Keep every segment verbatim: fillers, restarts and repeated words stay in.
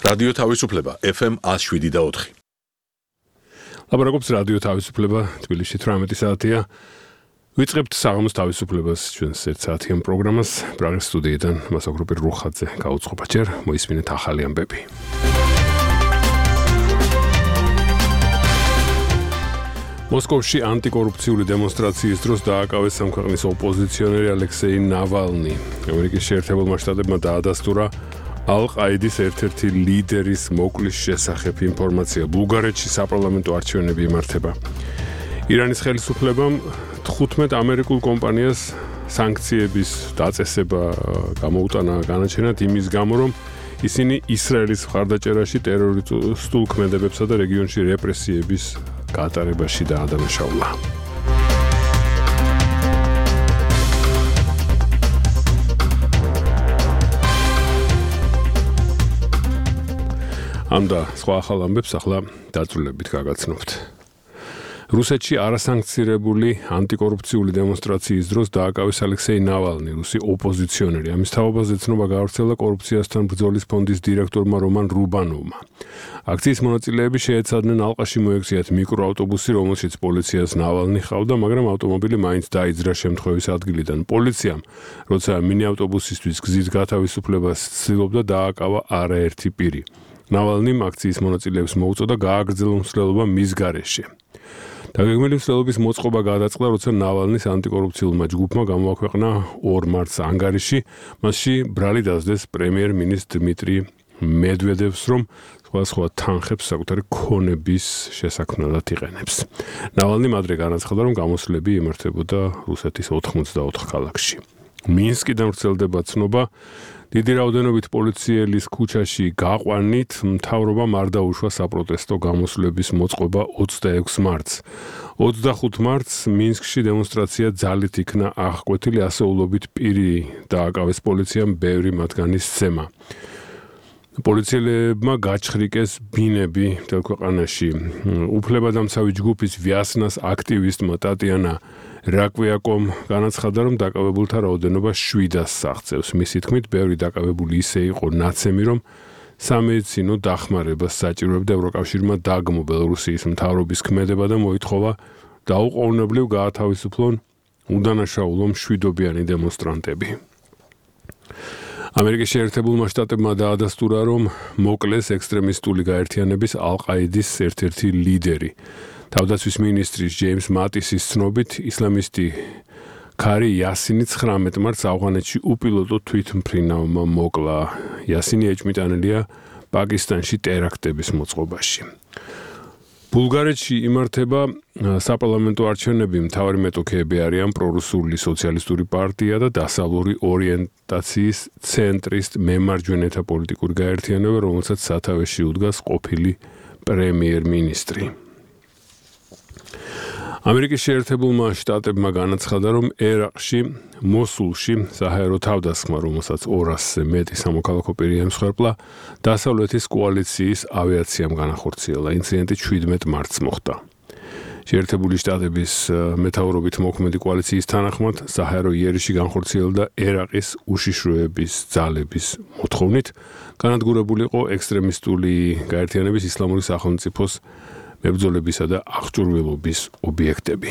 რადიო თავისუფლება ეფ ემ one oh seven point four. ლაბორატორიის რადიო თავისუფლება თბილისში თვრამეტი საათია. ვიწყებთ საღამოს თავისუფლებას ჩვენს ერთ საათიან პროგრამას. პრაღის სტუდიიდან მასაკროპი რუხაძე გაუწყობა ჯერ მოისმინეთ ახალი ამბები. მოსკოვში ანტიკორუფციული დემონსტრაციის დროს დააკავეს სამქვეყნის ოპოზიციონერი ალექსეი ნავალნი. ამერიკის შეერთებულმა შტატებმა დაადასტურა ალ-ყაიდის ერთ-ერთი ლიდერის მოკლის შესახებ ინფორმაცია. ბულგარეთში საპარლამენტო არჩევნები იმართება. ირანის ხელისუფლებამ თხუთმეტ ამერიკულ კომპანიას სანქციების დაწესება გამოუტანა განაჩენად იმის გამო, რომ ისინი ისრაელის მხარდაჭერაში ტერორისტულ ქმედებებსა და რეგიონში რეპრესიების გატარებაში დაადანაშაულა. ამ და სხვა ახალ ამბებს ახლა დაწვრილებით გაგაცნობთ. რუსეთში არასანქცირებული ანტიკორუფციული დემონსტრაციის დროს დააკავეს ალექსეი ნავალნი, რუსი ოპოზიციონერი. ამის თაობაზე ცნობა გაავრცელდა კორუფციასთან ბრძოლის ფონდის დირექტორმა რომან რუბანოვმა. აქციის მონაწილეები შეეცადნენ ალყაში მოექციათ მიკროავტობუსი, რომელშიც პოლიციას ნავალნი ჰყავდა, მაგრამ ავტომობილი მაინც დაიძრა შემთხვევის ადგილიდან. პოლიციამ, როცა მინიავტობუსისთვის გზის გათავისუფლებას ცდილობდა, დააკავა არაერთი პირი. ნავალნიმ აქციის მონაწილეებს მოუწოდა გააგრძელონ მსვლელობა მის გარეშე. დაგეგმილი მსვლელობის მოწყობა გადაწყდა, როცა ნავალნის ანტიკორუფციულმა ჯგუფმა გამოაქვეყნა ორ მარტს ანგარიში, მასში ბრალი დასდეს პრემიერ-მინისტრ დმიტრი მედვედევს, რომ სხვადასხვა თანხებს საკუთარი ქონების შესაქმნელად იყენებს. ნავალნიმ ადრე განაცხადა, რომ გამოსვლები იმართებოდა რუსეთის ოთხმოცდაოთხ ქალაქში. მინსკიდან ვრცელდება ცნობა, დიდი რაოდენობით პოლიციელის ქუჩაში გაყვანით მთავრობამ არ დაუშვა საპროტესტო გამოსვლების მოწყობა ოცდაექვსი მარტს. ოცდახუთ მარტს მინსკში დემონსტრაცია ძალით იქნა აღკვეთილი, ასეულობით პირი დააკავეს პოლიციამ, ბევრი მათგანი სცემა. პოლიციელებმა გაჩხრიკეს ბინები მთელ ქვეყანაში. უფლებადამცავი ჯგუფის ვიასნას აქტივისტმა ტატიანა რაკვიაკომ განაცხადა, რომ დაკავებულთა რაოდენობა შვიდას აღწევს. მისი თქმით, ბევრი დაკავებული ისე იყო ნაცემი, რომ სამედიცინო დახმარებას საჭიროებდა. ევროკავშირმა დაგმო ბელორუსიის მთავრობის ქმედება და მოითხოვა დაუყოვნებლივ გაათავისუფლონ უდანაშაულო მშვიდობიანი დემონსტრანტები. ამერიკის შეერთებულმა შტატებმა დაადასტურა, რომ მოკლეს ექსტრემისტული გაერთიანების ალ-ყაიდის ერთ-ერთი ლიდერი. თავდაცვის მინისტრის ჯეიმს მატისის ცნობით, ისლამისტი ქარი იასინი ცხრამეტ მარტს ავღანეთში უპილოტო თვითმფრინავმა მოკლა. იასინი ეჭვმიტანილია პაკისტანში ტერაქტების მოწყობაში. ბულგარეთში იმართება საპარლამენტო არჩევნები. მთავარი მეტოქეები არიან პრორუსული სოციალისტური პარტია და დასავლური ორიენტაციის ცენტრისტ მემარჯვენეთა პოლიტიკური გაერთიანება, რომელსაც სათავეში უდგას ყოფილი პრემიერ-მინისტრი. ამერიკის შეერთებულმა შტატებმა განაცხადა, რომ ერაყში, მოსულში, საჰაერო თავდასხმა, რომელსაც ორასზე მეტი სამოქალაქო პირი ემსხვერპლა, დასავლეთის კოალიციის ავიაციამ განახორციელა. ინციდენტი შვიდმეტ მარტს მოხდა. შეერთებული შტატების მეთაურობით მოქმედი კოალიციის თანახმად, საჰაერო იერიში განხორციელდა ერაყის უშიშროების ძალების მოთხოვნით, განადგურებული იყო ექსტრემისტული გაერთიანების ისლამური სახელმწიფოს მებრძოლებისა და აღჭურვილობის ობიექტები.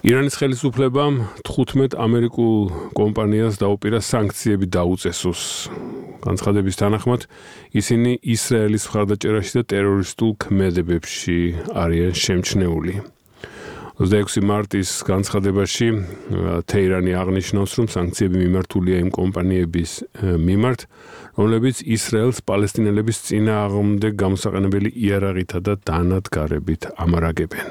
ირანის ხელისუფლებამ თხუთმეტ ამერიკულ კომპანიას დაუპირა სანქციები დაუწესოს. განცხადების თანახმად, ისინი ისრაელის მხარდაჭერაში და ტერორისტულ ქმედებებში არიან შემჩნეული. ოცდაექვსი მარტის განცხადებაში თეირანი აღნიშნავს, რომ სანქციები მიმართულია იმ კომპანიების მიმართ, რომლებიც ისრაელს პალესტინელების წინააღმდეგ გამოსაყენებელი იარაღითა და დანადგარებით ამარაგებენ.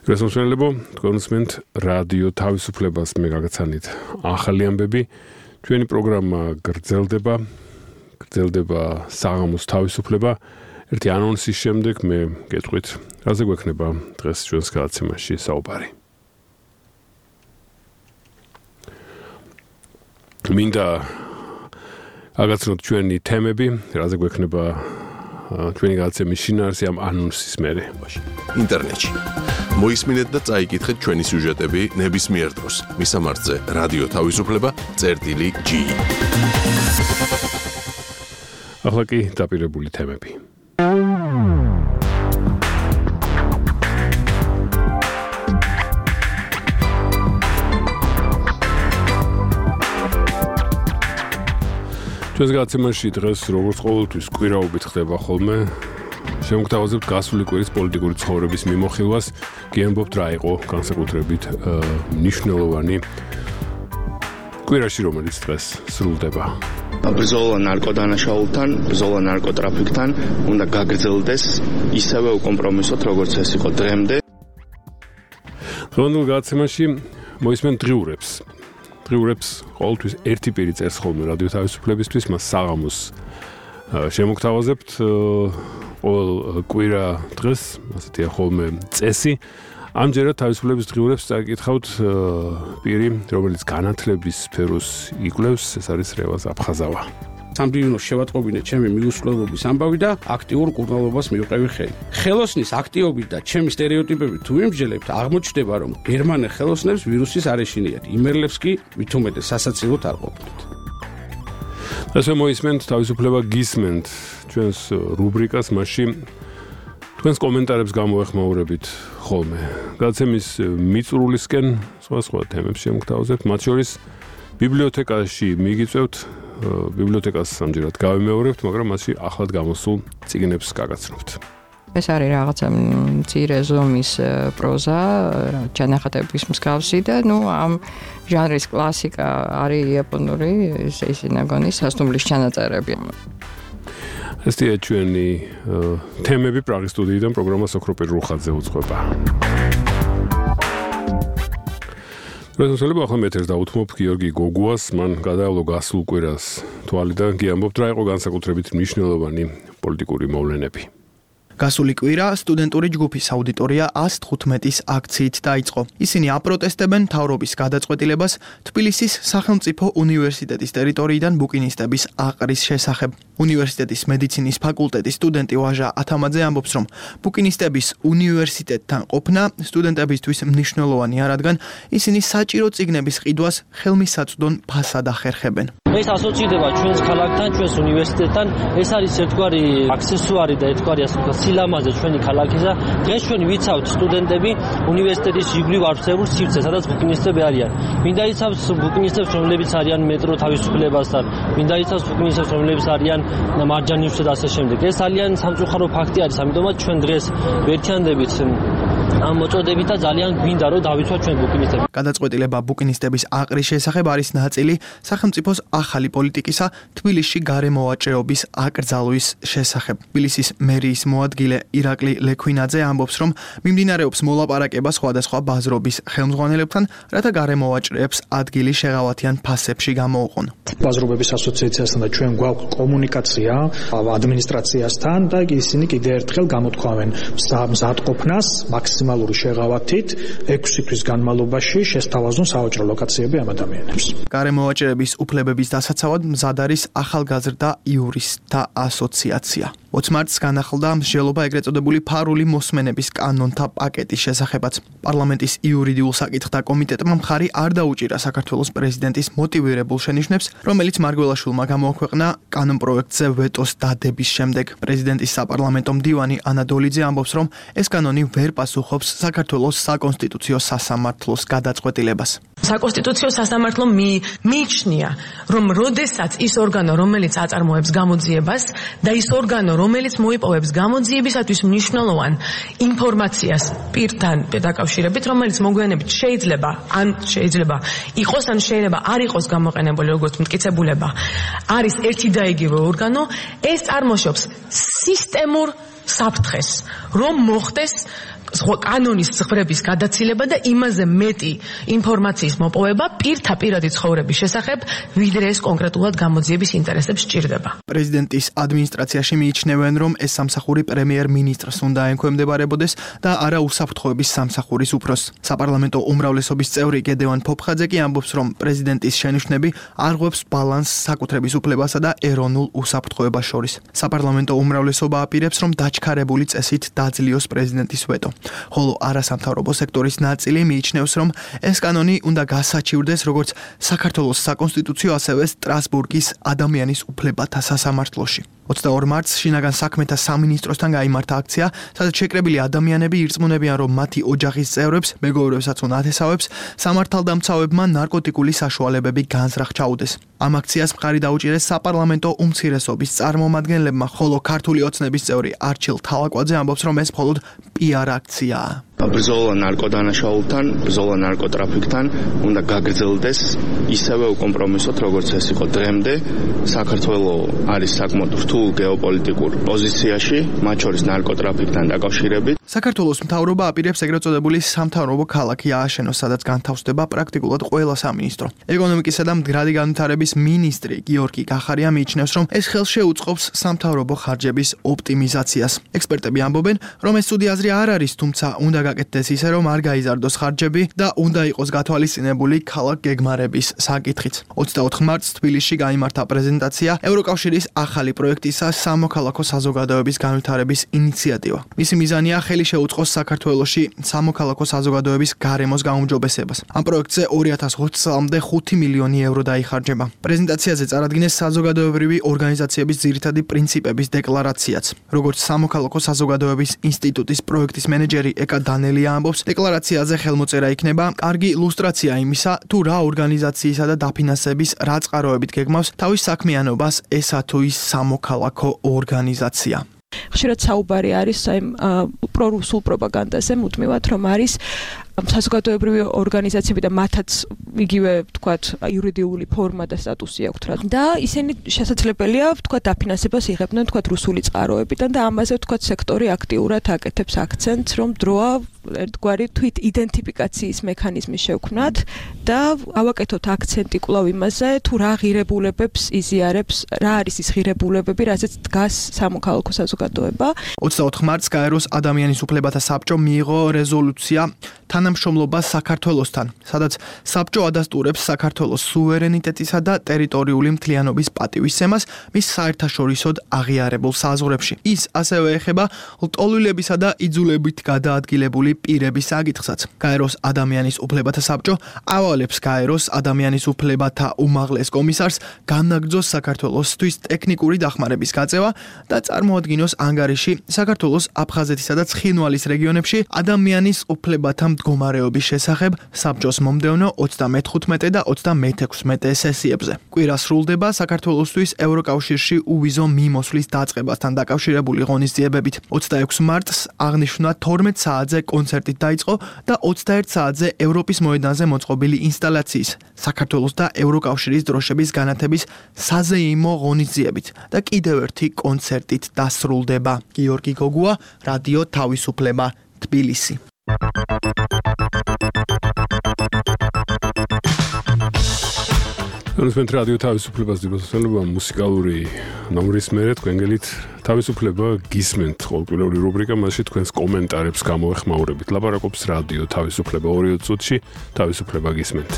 გასამშენებო, თქვენ უსმენთ რადიო თავისუფლებას, მე გაგაცანით ახალი ამბები. ჩვენი პროგრამა გრძელდება, გრძელდება საღამოს თავისუფლება. ერთი ანონსის შემდეგ მე გეტყვით, რაზე გვექნება დღეს ჩვენს გადაცემაში საუბარი. მინდა აგაცნოთ ჩვენი თემები, რაზე გვექნება ჩვენი გადაცემის შინაარსი ამ ანონსის მერე. ინტერნეტში. მოისმინეთ და წაიკითხეთ ჩვენი სიუჟეტები ნებისმიერ დროს. მისამართზე რადიო თავისუფლება წერტილი ჯი. ახლა კი დაპირებული თემები. ჩვენს გადაცემაში დღეს როგორც ყოველთვის კვირაობით ხდება ხოლმე შემოგთავაზებთ გასული კვირის პოლიტიკური ცხოვრების მიმოხილვას, გიამბობთ რა იყო განსაკუთრებით მნიშვნელოვანი კვირაში, რომელიც დღეს სრულდება. ბრძოლა ნარკოდანაშაულთან, ბრძოლა ნარკოტრაფიკთან უნდა გაგრძელდეს ისევე უკომპრომისოდ, როგორც ეს იყო დღემდე. დღევანდელ გადაცემაში მოისმენთ დღიურებს. დღიურებს ყოველთვის ერთი პირი წერს ხოლმე რადიო თავისუფლებისთვის, მას საღამოს შემოგთავაზებთ ყოველ კვირა დღეს, ასეთია ხოლმე წესი. ამჯერად თავისუფლების დღიურებს წაკითხავთ პირი, რომელიც განათლების სფეროს იკვლევს, ეს არის რევაზ აფხაზავა. სამბივნოს შევატყობინე ჩემი მიუსრულობის ამბავი და აქტიურ კურნალობას მივყევი ხელი. ხელოსნის აქტიობით და ჩემი სტერეოტიპებით თუ ვიმსჯელებთ, აღმოჩნდება, რომ გერმანელ ხელოსნებს ვირუსის არ ეშინიათ, იმერლებს კი ვითომეტეს სასაცილოდ არ ყოფილით. ასე მოისმენთ თავისუფლება გისმენთ ჩვენს რუბრიკას, მასში თქვენს კომენტარებს გამოეხმაურებით ხოლმე. გადაცემის მიწურულისკენ სხვა სხვა თემებს შემოგთავაზებთ, მათ შორის ბიბლიოთეკაში მიგიწევთ, ბიბლიოთეკას ამჯერად გავიმეორებთ, მაგრამ მასში ახლად გამოსულ წიგნებს გაგაცნობთ. ეს არის რაღაცა მცირე ზომის პროზა, ჩანახატების მსგავსი და ნუ ამ ჟანრის კლასიკა არის იაპონური სეისინაგონის სასტუმრის ჩანაწერები. ესეა ჩვენი თემები პრაღის სტუდიიდან, პროგრამა სოქროპერ რუხაძე უძღვება. რეზოლუცია ახლა მეტერს დაუთმობ გიორგი გოგუას, მან გადაავლო გასულ კვირას თვალი და გიამბობთ რა იყო განსაკუთრებით მნიშვნელოვანი პოლიტიკური მოვლენები. გასული კვირა სტუდენტური ჯგუფის აუდიტორია ას თხუთმეტის აქციით დაიწყო. ისინი აპროტესტებენ მთავრობის გადაწყვეტილებას თბილისის სახელმწიფო უნივერსიტეტის ტერიტორიიდან ბუკინისტების აყრის შესახებ. უნივერსიტეტის მედიცინის ფაკულტეტის სტუდენტი ვაჟა ათამაძე ამბობს, რომ ბუკინისტების უნივერსიტეტთან ყოფნა სტუდენტებისთვის მნიშვნელოვანია, რადგან ისინი საჭირო წიგნების ყიდვას ხელმისაწვდომ ფასად ახერხებენ. ეს ასოცირდება ჩვენს ქალაქთან, ჩვენს უნივერსიტეტთან, ეს არის ერთგვარი აქსესუარი და ერთგვარი ასე ვთქვათ სილამაზე ჩვენი ქალაქისა. დღეს ჩვენ ვიცავთ სტუდენტები უნივერსიტეტის ჟიგვლიურ არსებულ სივრცე, სადაც ბუკინისტები არიან. მინდა იცავს ბუკინისტებს, რომლებიც არიან მეტრო თავისუფლებასთან, მინდა იცავს ბუკინისტებს, რომლებიც არიან მარჯანივსა და ასე შემდეგ. ეს ძალიან სამწუხარო ფაქტი არის, ამიტომაც ჩვენ დღეს ვერთიანდებით ამ მოწოდებით და ძალიან გვინდა რომ დავიცვათ ჩვენ ბუკინისტები. გადაწყვეტილება ბუკინისტების აყრის შესახებ არის ნაწილი სახელმწიფოს ახალი პოლიტიკისა თბილისში გარემოვაჭრეობის აკრძალვის შესახებ. თბილისის მერიის მოადგილე ირაკლი ლექვინაძე ამბობს, რომ მიმდინარეობს მოლაპარაკება სხვადასხვა ბაზრობის ხელმძღვანელებთან, რათა გარემოვაჭრეებს ადგილი შეღავათიან ფასებში გამოუყონ. ბაზრობების ასოციაციასთან და ჩვენ გვაქვს კომუნიკაცია ადმინისტრაციასთან და ისინი კიდე ერთხელ გამოთქვამენ მზადყოფნას მაქსიმალური შეღავათით ექვსი თვის განმავლობაში შესთავაზონ სავაჭრო ლოკაციები ამ ადამიანებს. გარემოვაჭრეების უფლებების დასაცავად მზად არის ახალგაზრდა იურისტთა ასოციაცია. ოც მარტს განახლდა მსჯელობა ეგრეთ წოდებული ფარული მოსმენების კანონთა პაკეტის შესახებაც. პარლამენტის იურიდიულ საკითხთა კომიტეტმა მხარი არ დაუჭირა საქართველოს პრეზიდენტის მოტივირებულ შენიშვნებს, რომელიც მარგველაშვილმა გამოაქვეყნა კანონპროექტზე ვეტოს დადების შემდეგ. პრეზიდენტის საპარლამენტო მდივანი ანა დოლიძე ამბობს, რომ ეს კანონი ვერ პასუხობს საქართველოს საკონსტიტუციო სასამართლოს გადაწყვეტილებას. საკონსტიტუციო სასამართლომ მიიჩნია, რომ როდესაც ის ორგანო, რომელიც აწარმოებს გამოძიებას და ის ორგანო, რომელიც მოიპოვებს გამოძიებისათვის მნიშვნელოვან ინფორმაციას პირთან დაკავშირებით, რომელიც მოგვიანებით შეიძლება ან შეიძლება იყოს ან შეიძლება არ იყოს გამოყენებული როგორც მტკიცებულება, არის ერთი და იგივე ორგანო, ეს წარმოშობს სისტემურ საფრთხეს, რომ მოხდეს კანონის ზღვრების გადაცილება და იმაზე მეტი ინფორმაციის მოპოვება პირთა პირადი ცხოვრების შესახებ, ვიდრე ეს კონკრეტულად გამოძიების ინტერესებს სჭირდება. პრეზიდენტის ადმინისტრაციაში მიიჩნევენ, რომ ეს სამსახური პრემიერ-მინისტრს უნდა ექვემდებარებოდეს და არა უსაფრთხოების სამსახურის უფროსს. საპარლამენტო უმრავლესობის წევრი გედევან ფოფხაძე კი ამბობს, რომ პრეზიდენტის შენიშვნები არღვევს ბალანსს საკუთრების უფლებასა და ეროვნულ უსაფრთხოებას შორის. საპარლამენტო უმრავლესობა აპირებს, რომ დაჩქარებული წესით დაძლიოს პრეზიდენტის ვეტო. ხოლო არასამთავრობო სექტორის ნაწილი მიიჩნევს, რომ ეს კანონი უნდა გასაჩივრდეს როგორც საქართველოს საკონსტიტუციო, ასევე სტრასბურგის ადამიანის უფლებათა სასამართლოში. ოცდაორ მარტს შინაგან საქმეთა სამინისტროსთან გაიმართა აქცია, სადაც შეკრებილი ადამიანები ირწმუნებიან, რომ მათი ოჯახის წევრებს, მეგობრებსაც თუ ნათესავებს სამართალდამცავებმა ნარკოტიკული საშუალებები განზრახ ჩაუდეს. ამ აქციას მხარი დაუჭირეს საპარლამენტო უმცირესობის წარმომადგენლებმა, ხოლო ქართული ოცნების წევრი არჩილ თალაკვაძე ამბობს, რომ ეს მხოლოდ პიარ აქციაა. ბრძოლა ნარკოდანაშაულთან, ბრძოლა ნარკოტრაფიკთან უნდა გაგრძელდეს ისევე უკომპრომისოდ, როგორც ეს იყო დღემდე. საქართველოს არის საკმაოდ რთულ გეოპოლიტიკურ პოზიციაში, მათ შორის ნარკოტრაფიკთან დაკავშირებით. საქართველოს მთავრობა აპირებს ეგრეთ წოდებული სამთავრობო ქალაქი ააშენოს, სადაც განთავსდება პრაქტიკულად ყველა სამინისტრო. ეკონომიკისა და მდგრადი განვითარების მინისტრი გიორგი კახარია მიიჩნევს, რომ ეს ხელს შეუწყობს სამთავრობო ხარჯების ოპტიმიზაციას. ექსპერტები ამბობენ, რომ ეს ცუდი აზრი არ არის, თუმცა უნდა გაკეთდეს ისე, რომ არ გაიზარდოს ხარჯები და უნდა იყოს გათვალისწინებული ქალაქ გეგმარების საკითხიც. ოცდაოთხ მარტს თბილისში გაიმართა პრეზენტაცია ევროკავშირის ახალი პროექტისა სამოქალაქო საზოგადოების განვითარების ინიციატივა. მისი მიზანია ხელი შეუწყოს საქართველოში სამოქალაქო საზოგადოების გარემოს გაუმჯობესებას. ამ პროექტზე ორი ათას ოცდაათი წლამდე ხუთი მილიონი ევრო დაიხარჯება. პრეზენტაციაზე წარადგინეს საზოგადოებრივი ორგანიზაციების ძირითადი პრინციპების დეკლარაციაც. როგორც სამოქალაქო საზოგადოების ინსტიტუტის პროექტის მენეჯერი ეკა დანელია ამბობს, დეკლარაციაზე ხელმოწერა იქნება კარგი ილუსტრაცია იმისა, თუ რა ორგანიზაციისა და დაფინანსების რა წყაროებით გეგმავს თავის საქმიანობას ესა თუ ის სამოქალაქო ორგანიზაცია. ხშირად საუბარი არის აი პრორუსულ პროპაგანდაზე, მუდმივად რომ არის საზოგადოებრივი ორგანიზაციები და მათაც იგივე ვთქვათ იურიდიული ფორმა და სტატუსი აქვთ რა. და ისინი შესაძლებელია ვთქვათ დაფინანსებას იღებდნენ ვთქვათ რუსული წყაროებიდან და ამაზე ვთქვათ სექტორი აქტიურად აკეთებს აქცენტს, რომ დროა ერთგვარი თვით იდენტიფიკაციის მექანიზმი შევქმნათ და ავაკეთოთ აქცენტი კვლავ იმაზე, თუ რა ღირებულებებს იზიარებს, რა არის ის ღირებულებები, რაზეც დგას სამოქალაქო საზოგადოება. ოცდაოთხ მარტს გაეროს ადამიანის უფლებათა საბჭომ მიიღო რეზოლუცია თანამშრომლობა საქართველოსთან, სადაც საბჭო ადასტურებს საქართველოს სუვერენიტეტისა და ტერიტორიული მთლიანობის პატივისცემას მის საერთაშორისოდ აღიარებულ საზღვრებში. ის ასევე ეხება ლტოლვილებისა და იძულებით გადაადგილებული პირების საკითხსაც. გაეროს ადამიანის უფლებათა საბჭო ავალებს გაეროს ადამიანის უფლებათა უმაღლეს კომისარს განაგრძოს საქართველოსთვის ტექნიკური დახმარების გაწევა და წარმოადგინოს ანგარიში საქართველოს აფხაზეთისა და ცხინვალის რეგიონებში ადამიანის უფლებათა მდგომარეობის შესახებ საბჭოს მომდევნო ოცდამეთხუთმეტე და ოცდამეექვსმეტე სესიებზე. კვირა სრულდება საქართველოსთვის ევროკავშირში უვიზო მიმოსვლის დაწყებასთან დაკავშირებული ღონისძიებებით. ოცდაექვსი მარტს აღნიშნა თორმეტ საათზე კონცერტით დაიწყო და ოცდაერთ საათზე ევროპის მოედანზე მოწყობილი ინსტალაციის საქართველოს და ევროკავშირის დროშების განათების საზეიმო ღონისძიებით და კიდევ ერთი კონცერტით დასრულდება. გიორგი გოგუა, რადიო თავისუფლება, თბილისი. ნუ რადიო თავისუფლებას დიბოსელობა მუსიკალური ნომრის მერე თქვენგელით თავისუფლება გისმენთ ყოველკვირეული რუბრიკა, მასში თქვენს კომენტარებს გამოეხმაურებით. ლაპარაკობს რადიო თავისუფლება ორი წუთში, თავისუფლება გისმენთ.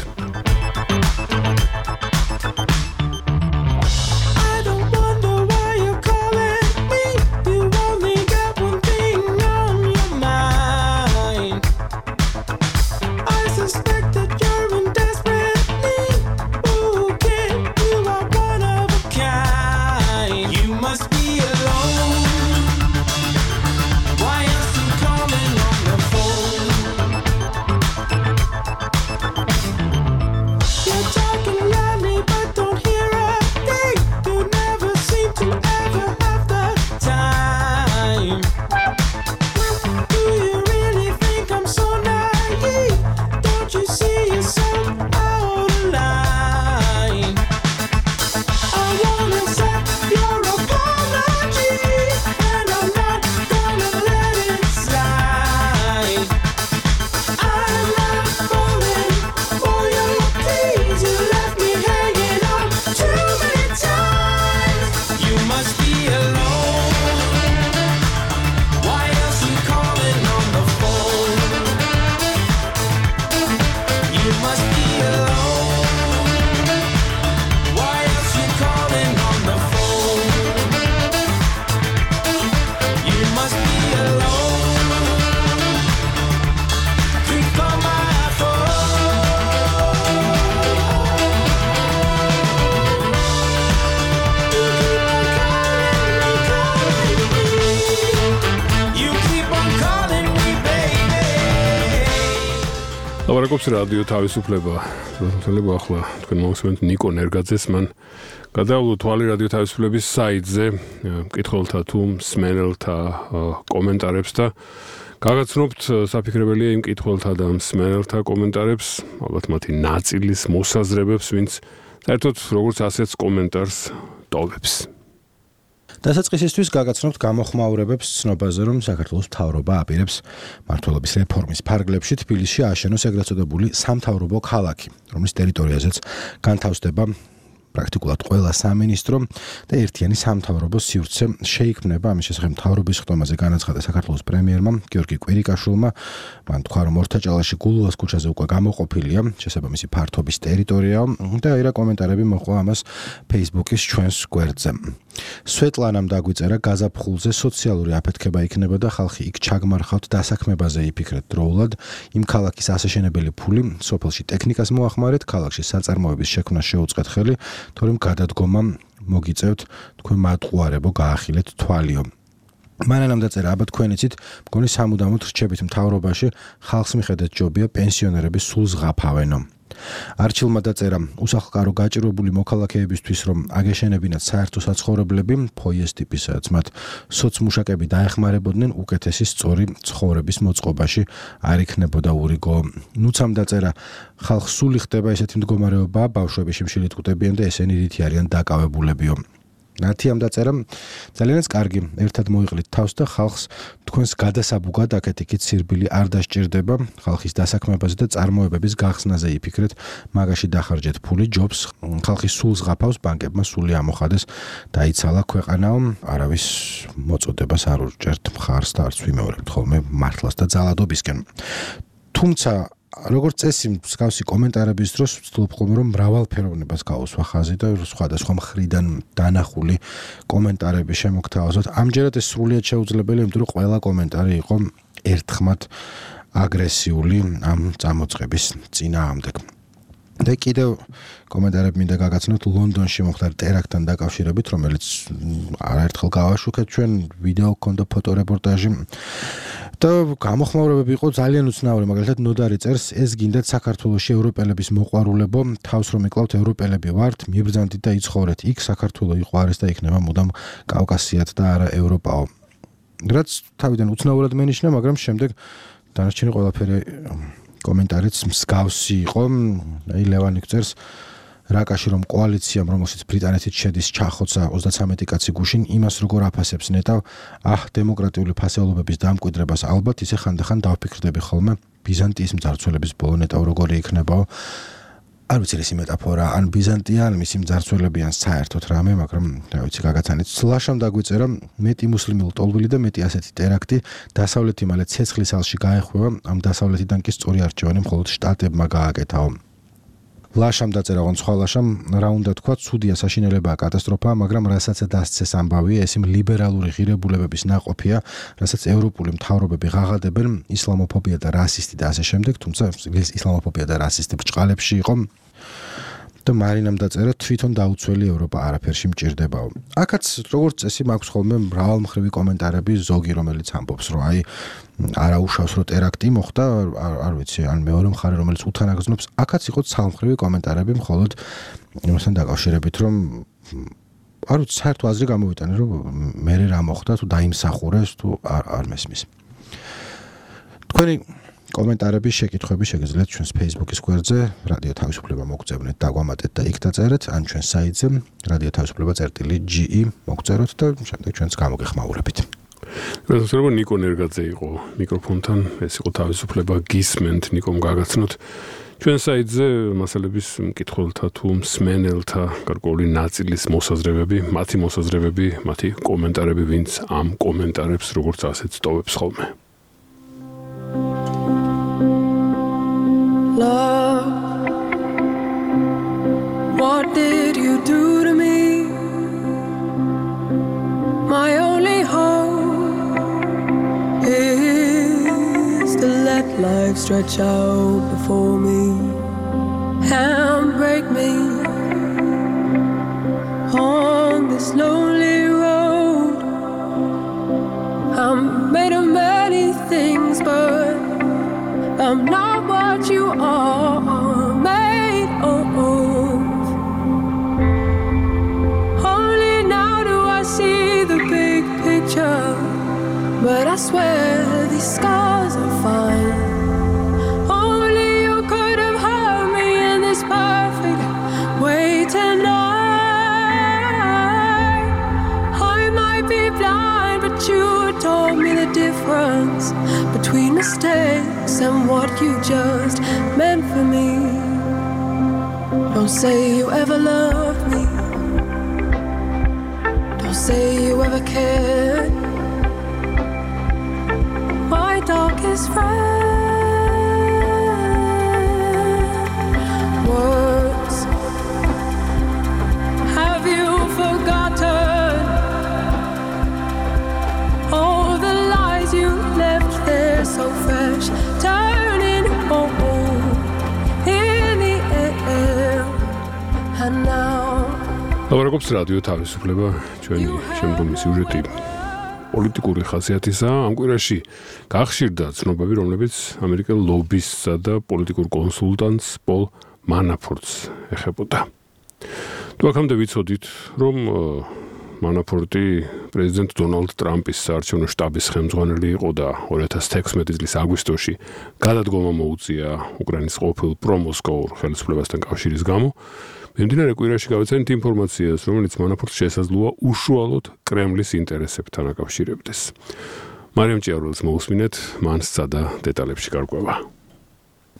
ლაპარაკობს რადიო თავისუფლება. თვალები ახლა თქვენ მოგესმენთ ნიკო ნერგაძეს, მან გადაავლო თვალი რადიო თავისუფლების საიტზე, მკითხველთა თუ მსმენელთა კომენტარებს და გაგაცნობთ საფიქრებელია იმ მკითხველთა და მსმენელთა კომენტარებს, ალბათ მათი ნაწილის მოსაზრებებს, ვინც საერთოდ როგორც ასეც კომენტარს ტოვებს. დასაწყისისთვის გაგაცნობთ გამოხმაურებებს ცნობაზე, რომ საქართველოს მთავრობა აპირებს მმართველობის რეფორმის ფარგლებში თბილისში ააშენოს ეგრეთ წოდებული სამთავრობო ქალაქი, რომლის ტერიტორიაზეც განთავსდება პრაქტიკულად ყველა სამინისტრო და ერთიანი სამთავრობო სივრცე შეიქმნება. ამის შესახებ მთავრობის ხდომაზე განაცხადა საქართველოს პრემიერმა გიორგი კვირიკაშვილმა. მან თქვა, რომ ორთაჭალაში გულუას ქუჩაზე უკვე გამოყოფილია შესაბამისი ფართობის ტერიტორია და აირა კომენტარები მოყვა ამას Facebook-ის ჩვენს გვერდზე. სვეტლანამ დაგვიწერა გაზაფხულზე სოციალური აფეთქება იქნება და ხალხი იქ ჩაგმარხავთ დასაქმებაზე იფიქრეთ დროულად. იმ ქალაქის ასაშენებელი ფული სოფელში ტექნიკას მოახმარეთ, ქალაქში საწარმოების შექმნას შეუწყეთ ხელი, თორემ გადადგომა მოგიწევთ, თქვენ მატყუარებო გაახილეთ თვალიო. მანანამ დაწერა, აბა თქვენ იცით, მგონი სამუდამოდ რჩებით მთავრობაში, ხალხს მიხედეთ ჯობია პენსიონერები სულ ზღაფავენო. არჩილმა დაწერა, უსახლკარო გაჭირვებული მოქალაქეებისთვის, რომ აგეშენებინათ საერთო საცხოვრებლები, ფოიეს ტიპისაც მათ სოცმუშაკები დაეხმარებოდნენ, უკეთესი სწორი ცხოვრების მოწყობაში არ იქნებოდა ურიგო. ნუცამ დაწერა, ხალხს სული ხდება ესეთი მდგომარეობა, ბავშვები შიმშილით კვდებიან და ესენი რითი არიან დაკავებულებიო. ნათიამ დაწერა, ძალიანაც კარგი, ერთად მოიყლით თავს და ხალხს თქვენს გადასაბუგად აქეთ-იქით სირბილი არ დასჭირდება, ხალხის დასაქმებაზე და წარმოებების გახსნაზე იფიქრეთ, მაგაში დახარჯეთ ფული, ჯობს, ხალხის სულს ღაფავს, ბანკებმა სული ამოხადეს, დაიცალა ქვეყანაო, არავის მოწოდებას არ ურჭერთ მხარს და არც ვიმეორებთ ხოლმე მართლას და ძალადობისკენ. თუმცა როგორც წესი, მსგავსი კომენტარების დროს ვცდილობ ხოლმე რომ მრავალფეროვნებას გაუსვა ხაზი და სხვადასხვა მხრიდან დანახული კომენტარები შემოგთავაზოთ. ამჯერად ეს სრულიად შეუძლებელია, იმიტომ რომ ყველა კომენტარი იყო ერთხმად აგრესიული ამ წამოწყების წინააღმდეგ. და კიდევ კომენტარები მინდა გაგაცნოთ ლონდონში მომხდარ ტერაქტთან დაკავშირებით, რომელიც არაერთხელ გავაშუქეთ ჩვენ, ვიდეო ჰქონდა, ფოტორეპორტაჟი. და გამოხმაურებები იყო ძალიან უცნაური, მაგალითად ნოდარი წერს, ეს გინდათ საქართველოში ევროპელების მოყვარულებო, თავს რომ იკლავთ ევროპელები ვართ, მიბრძანდით და იცხოვრეთ. იქ საქართველო იყო არის და იქნება მუდამ კავკასიად და არა ევროპაო. რაც თავიდან უცნაურად მენიშნა, მაგრამ შემდეგ დანარჩენი ყველაფერი კომენტარიც მსგავსი იყო. აი ლევანი წერს, რაკაში რომ კოალიციამ, რომელშიც ბრიტანეთიც შედის, ჩახოცა ოცდათრამეტი კაცი გუშინ, იმას როგორ აფასებს ნეტავ, აჰ, დემოკრატიული ფასეულობების დამკვიდრებას ალბათ ისე ხანდახან დავფიქრდები ხოლმე, ბიზანტიის მძარცველების ბოლო ნეტავ როგორი იქნებაო. არ ვიცი ეს მეტაფორა, ან ბიზანტია, ან მისი მძარცველები, ან საერთოდ რამე, მაგრამ რა ვიცი, გაგაცანით. სლაშამ დაგვიწერა, მეტი მუსლიმი ლტოლვილი და მეტი ასეთი ტერაქტი, დასავლეთი მალე ცეცხლის ალში გაეხვევა, ამ დასავლეთიდან კი სწორი არჩევანი მხოლოდ შტატებმა გააკეთაო. ლაშამ დაწერა განცხალაშამ, რა უნდა თქვა, ცუდია საშინელებაა კატასტროფა, მაგრამ რასაც დასცეს ამბავია, ეს იმ ლიბერალური ღირებულებების ნაყოფია, რასაც ევროპული მთავრობები ღაღადებენ, ისლამოფობია და რასისტი და ასე შემდეგ, თუმცა ისლამოფობია და რასისტი ბრჭყალებში იყო. და მარინამ დაწერა, თვითონ დაუცველი ევროპა არაფერში მჭირდებაო. აქაც როგორც წესი მაქვს ხოლმე მრავალმხრივი კომენტარები, ზოგი რომელიც ამბობს, რომ აი არაუშავს რომ ტერაქტი მოხდა, არ ვიცი, ან მეორე მხარე რომელიც უთანაგზნობს, აქაც იყო ცალმხრივი კომენტარები, მხოლოდ იმასთან დაკავშირებით, რომ არ ვიცი, საერთო აზრი გამოვიტანე, რომ მე რა მოხდა, თუ დაიმსახურეს, თუ არ მესმის. თქვენი კომენტარები, შეკითხვები შეგიძლიათ ჩვენს Facebook-ის გვერდზე, რადიო თავისუფლება მოგწევნეთ, დაგვამატეთ და იქ დაწერეთ, ან ჩვენს საიტზე, რადიო თავისუფლება წერტილი ჯი ი მოგწეროთ და შემდეგ ჩვენს გამოგეხმაურებით. გასაცნობ ნიკო ნერგაძე იყო მიკროფონთან, ეს იყო თავისუფლება გისმენთ, ნიკომ გაგაცნოთ. ჩვენ საიტზე მასალების მკითხველთა თუ მსმენელთა გარკვეული ნაწილის მოსაზრებები, მათი მოსაზრებები, მათი კომენტარები, ვინც ამ კომენტარებს როგორც ასეც ტოვებს ხოლმე. Love, what did you do to me? My only hope is to let life stretch out before me and break me on this lonely road. I'm made of many things, but I'm not what what you are made of. Only now do I see the big picture, but I swear these scars are fine. Only you could have hurt me in this perfect way tonight. I might be blind, but you told me the difference between mistakes and what you just meant for me. Don't say you ever loved me. Don't say you ever cared. My darkest friend. Words. Have you forgotten all the lies you left there so fresh, turning old in the air, and now. ლაპარაკობს რადიო თავისუფლება, ჩვენი შემდგომი სიუჟეტი პოლიტიკური ხასიათისაა. ამ კვირაში გახშირდა ცნობები, რომლებიც ამერიკელ ლობისტსა და პოლიტიკურ კონსულტანტს პოლ მანაფორტს ეხებოდა. თუ აქამდე ვიცოდით, რომ მანაფორტი პრეზიდენტ დონალდ ტრამპის საარჩევნო შტაბის ხელმძღვანელი იყო და ორი ათას თექვსმეტი წლის აგვისტოში გადადგომა მოუწია უკრაინის ყოფილ პრომოსკოვურ ხელისუფლებასთან კავშირის გამო, მიმდინარე კვირაში გავეცანით ინფორმაციას, რომელიც მანაფორტს შესაძლოა უშუალოდ კრემლის ინტერესებთან აკავშირებდეს. მარიამ ჭიარულს მოусმინეთ, მან სცადა დეტალებში გარკვევა.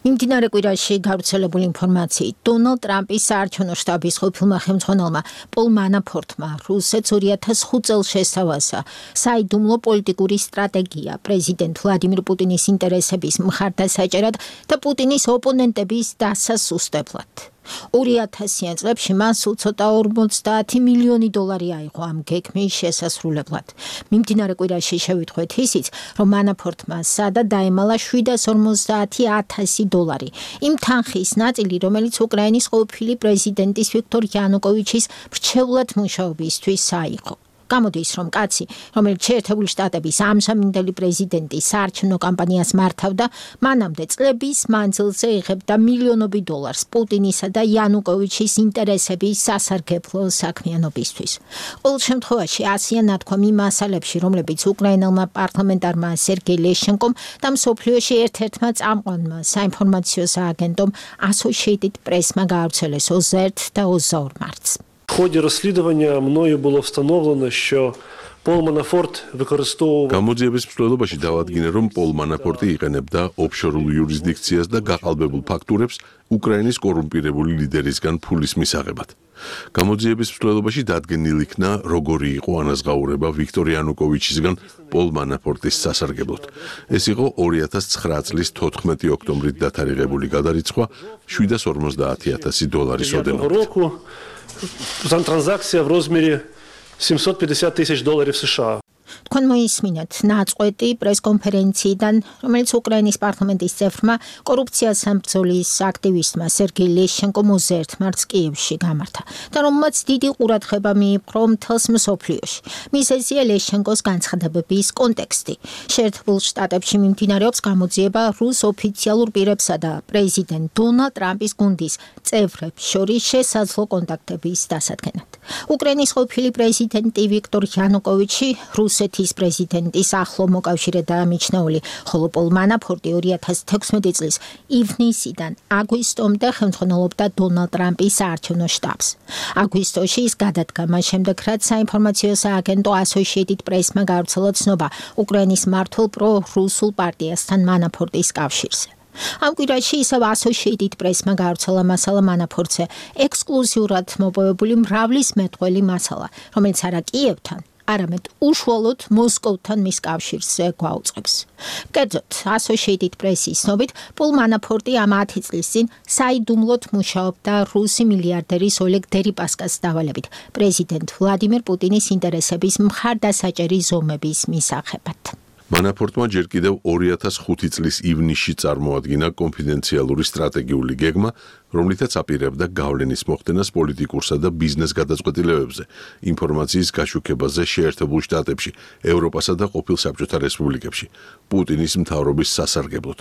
მიმდინარე კვირაში გავრცელებული ინფორმაციით, დონალდ ტრამპის საარჩევნო შტაბის ყოფილმა ხელმძღვანელმა პოლ მანაფორტმა რუსეთს ორი ათას ხუთ წელს შესთავაზა საიდუმლო პოლიტიკური სტრატეგია პრეზიდენტ ვლადიმირ პუტინის ინტერესების მხარდასაჭერად და პუტინის ოპონენტების დასასუსტებლად. ორი ათასიან წლებში მას უცოტა ორმოცდაათი მილიონი დოლარი აიღო ამ გეგმის შესასრულებლად. მიმდინარე კვირაში შევიტყვეთ ისიც, რომ მანაფორტმა სადა დაემალა შვიდას ორმოცდაათი ათასი დოლარი. იმ თანხის ნაწილი, რომელიც უკრაინის ყოფილი პრეზიდენტის ვიქტორ იანუკოვიჩის მრჩევლად მუშაობისთვის აიღო. გამოდის, რომ კაცი, რომელიც შეერთებული შტატების ამჟამინდელი პრეზიდენტის საარჩევნო კამპანიას მართავდა, მანამდე წლების მანძილზე იღებდა მილიონობით დოლარს პუტინისა და იანუკოვიჩის ინტერესების სასარგებლო საქმიანობისთვის. ყოველ შემთხვევაში, ასია ნათქვამ იმ მასალებში, რომლებიც უკრაინელმა პარლამენტარმა სერგეი ლეშენკომ და მსოფლიოში ერთ-ერთმა წამყვანმა საინფორმაციო სააგენტომ Associated Press-მა გაავრცელეს ოცდაერთი და ოცდაორი მარტს. В ході розслідування мною було встановлено, що Пол Манафорт використовував გამოძიების მსვლელობაში დავადგინე, რომ პოლ მანაფორტი იყენებდა ოფშორულ იურისდიქციას და გაყალბებულ ფაქტურებს უკრაინის კორუმპირებული ლიდერისგან ფულის მისაღებად. გამოძიების მსვლელობაში დადგენილ იქნა, როგორი იყო ანაზღაურება ვიქტორ იანუკოვიჩისგან პოლ მანაფორტის სასარგებლოდ. ეს იყო ორი ათას ცხრა წლის თოთხმეტი ოქტომბრით დათარიღებული გადარიცხვა შვიდას ორმოცდაათი ათასი დოლარის ოდენობით. Транзакція в розмірі сімсот п'ятдесят тисяч доларів США. თქვენ მოისმინეთ ნაწყვეტი პრესკონფერენციიდან, რომელიც უკრაინის პარლამენტის წევრმა კორუფციას სამბრძოლის აქტივისტმა სერგეი ლეშენკომ ოცდაერთი მარტს კიევში გამართა და რომელმაც დიდი ყურადღება მიიპყრო მთელს მსოფლიოში. მიზეზია ლეშენკოს განცხადებების კონტექსტი. შეერთებულ შტატებში მიმდინარეობს გამოძიება რუს ოფიციალურ პირებსა და პრეზიდენტ დონალდ ტრამპის გუნდის წევრებს შორის შესაძლო კონტაქტების დასადგენად. უკრაინის ყოფილი პრეზიდენტი ვიქტორ იანუკოვიჩი რუსეთის პრეზიდენტის ახლო მოკავშირედაა მიჩნეული, ხოლო პოლ მანაფორტი ორი ათას თექვსმეტი წლის ივნისიდან აგვისტომდე ხელმძღვანელობდა დონალდ ტრამპის საარჩევნო შტაბს. აგვისტოში ის გადადგა მას შემდეგ, რაც საინფორმაციო სააგენტო Associated Press-მა გავრცელა ცნობა უკრაინის მართულ პრო-რუსულ პარტიასთან მანაფორტის კავშირზე. ამ კვირაში ისევ Associated Press-მა გავრცელა მასალა მანაფორტზე ექსკლუზიურად მოპოვებული მრავლის მეტყველი მასალა, რომელიც არა კიევთან, არამედ უშუალოდ მოსკოვთან მის კავშირზე გვაუწყებს. კერძოდ, Associated Press-ის ცნობით, პოლ მანაფორტი ამ ათი წლის წინ საიდუმლოდ მუშაობდა რუსი მილიარდერის ოლეგ დერიპასკას დავალებით პრეზიდენტ ვლადიმირ პუტინის ინტერესების მხარდასაჭერი ზომების მისაღებად. მანაფორტმა ჯერ კიდევ ორი ათას ხუთი წლის ივნისში წარმოადგინა კონფიდენციალური სტრატეგიული გეგმა, რომლითაც აპირებდა გავლენის მოხდენას პოლიტიკურსა და ბიზნეს გადაწყვეტილებებზე, ინფორმაციის გაშუქებაზე შეერთებულ შტატებში, ევროპასა და ყოფილ საბჭოთა რესპუბლიკებში, პუტინის მთავრობის სასარგებლოდ.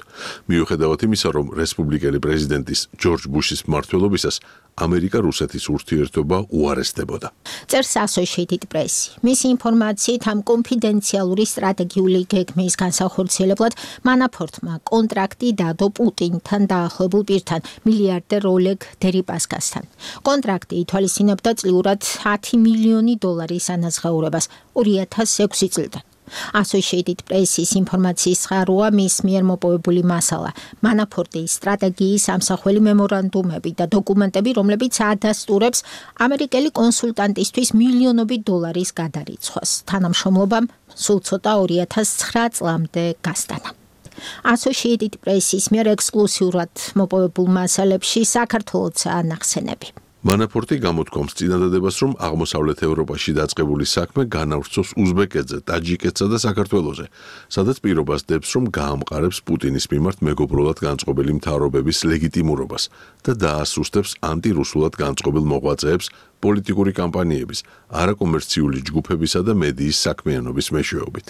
მიუხედავად იმისა, რომ რესპუბლიკელი პრეზიდენტის ჯორჯ ბუშის მმართველობისას ამერიკა-რუსეთის ურთიერთობა უარესდებოდა. წერს Associated Press. მისი ინფორმაციით ამ კონფიდენციალური სტრატეგიული გეგმის განსახორციელებლად მანაფორტმა კონტრაქტი დადო პუტინთან დაახლოებულ პირთან მილიარდერ ოლეგ დერიპასკასთან. კონტრაქტი ითვალისწინებდა წლიურად ათი მილიონი დოლარის ანაზღაურებას ორი ათას ექვსი წლიდან. Associated Press-ის ინფორმაციის წყაროა მის მიერ მოპოვებული მასალა, მანაფორტის სტრატეგიის ამსახველი მემორანდუმები და დოკუმენტები, რომლებიც ადასტურებს ამერიკელი კონსულტანტისთვის მილიონობით დოლარის გადარიცხვას. თანამშრომლობამ სულ ცოტა ორი ათას ცხრა წლამდე გასტანა. Associated Press-ის მიერ ექსკლუზიურად მოპოვებულ მასალებში საქართველოთაა ნახსენები. მანაფორტი გამოთქვამს წინადადებას, რომ აღმოსავლეთ ევროპაში დაწყებული საქმე განავრცოს უზბეკეთზე, ტაჯიკეთსა და საქართველოზე, სადაც პირობას დებს, რომ გაამყარებს პუტინის მიმართ მეგობრულად განწყობილი მთავრობების ლეგიტიმურობას და დაასუსტებს ანტირუსულად განწყობილ მოღვაწეებს პოლიტიკური კამპანიების, არაკომერციული ჯგუფებისა და მედიის საქმიანობის მეშვეობით.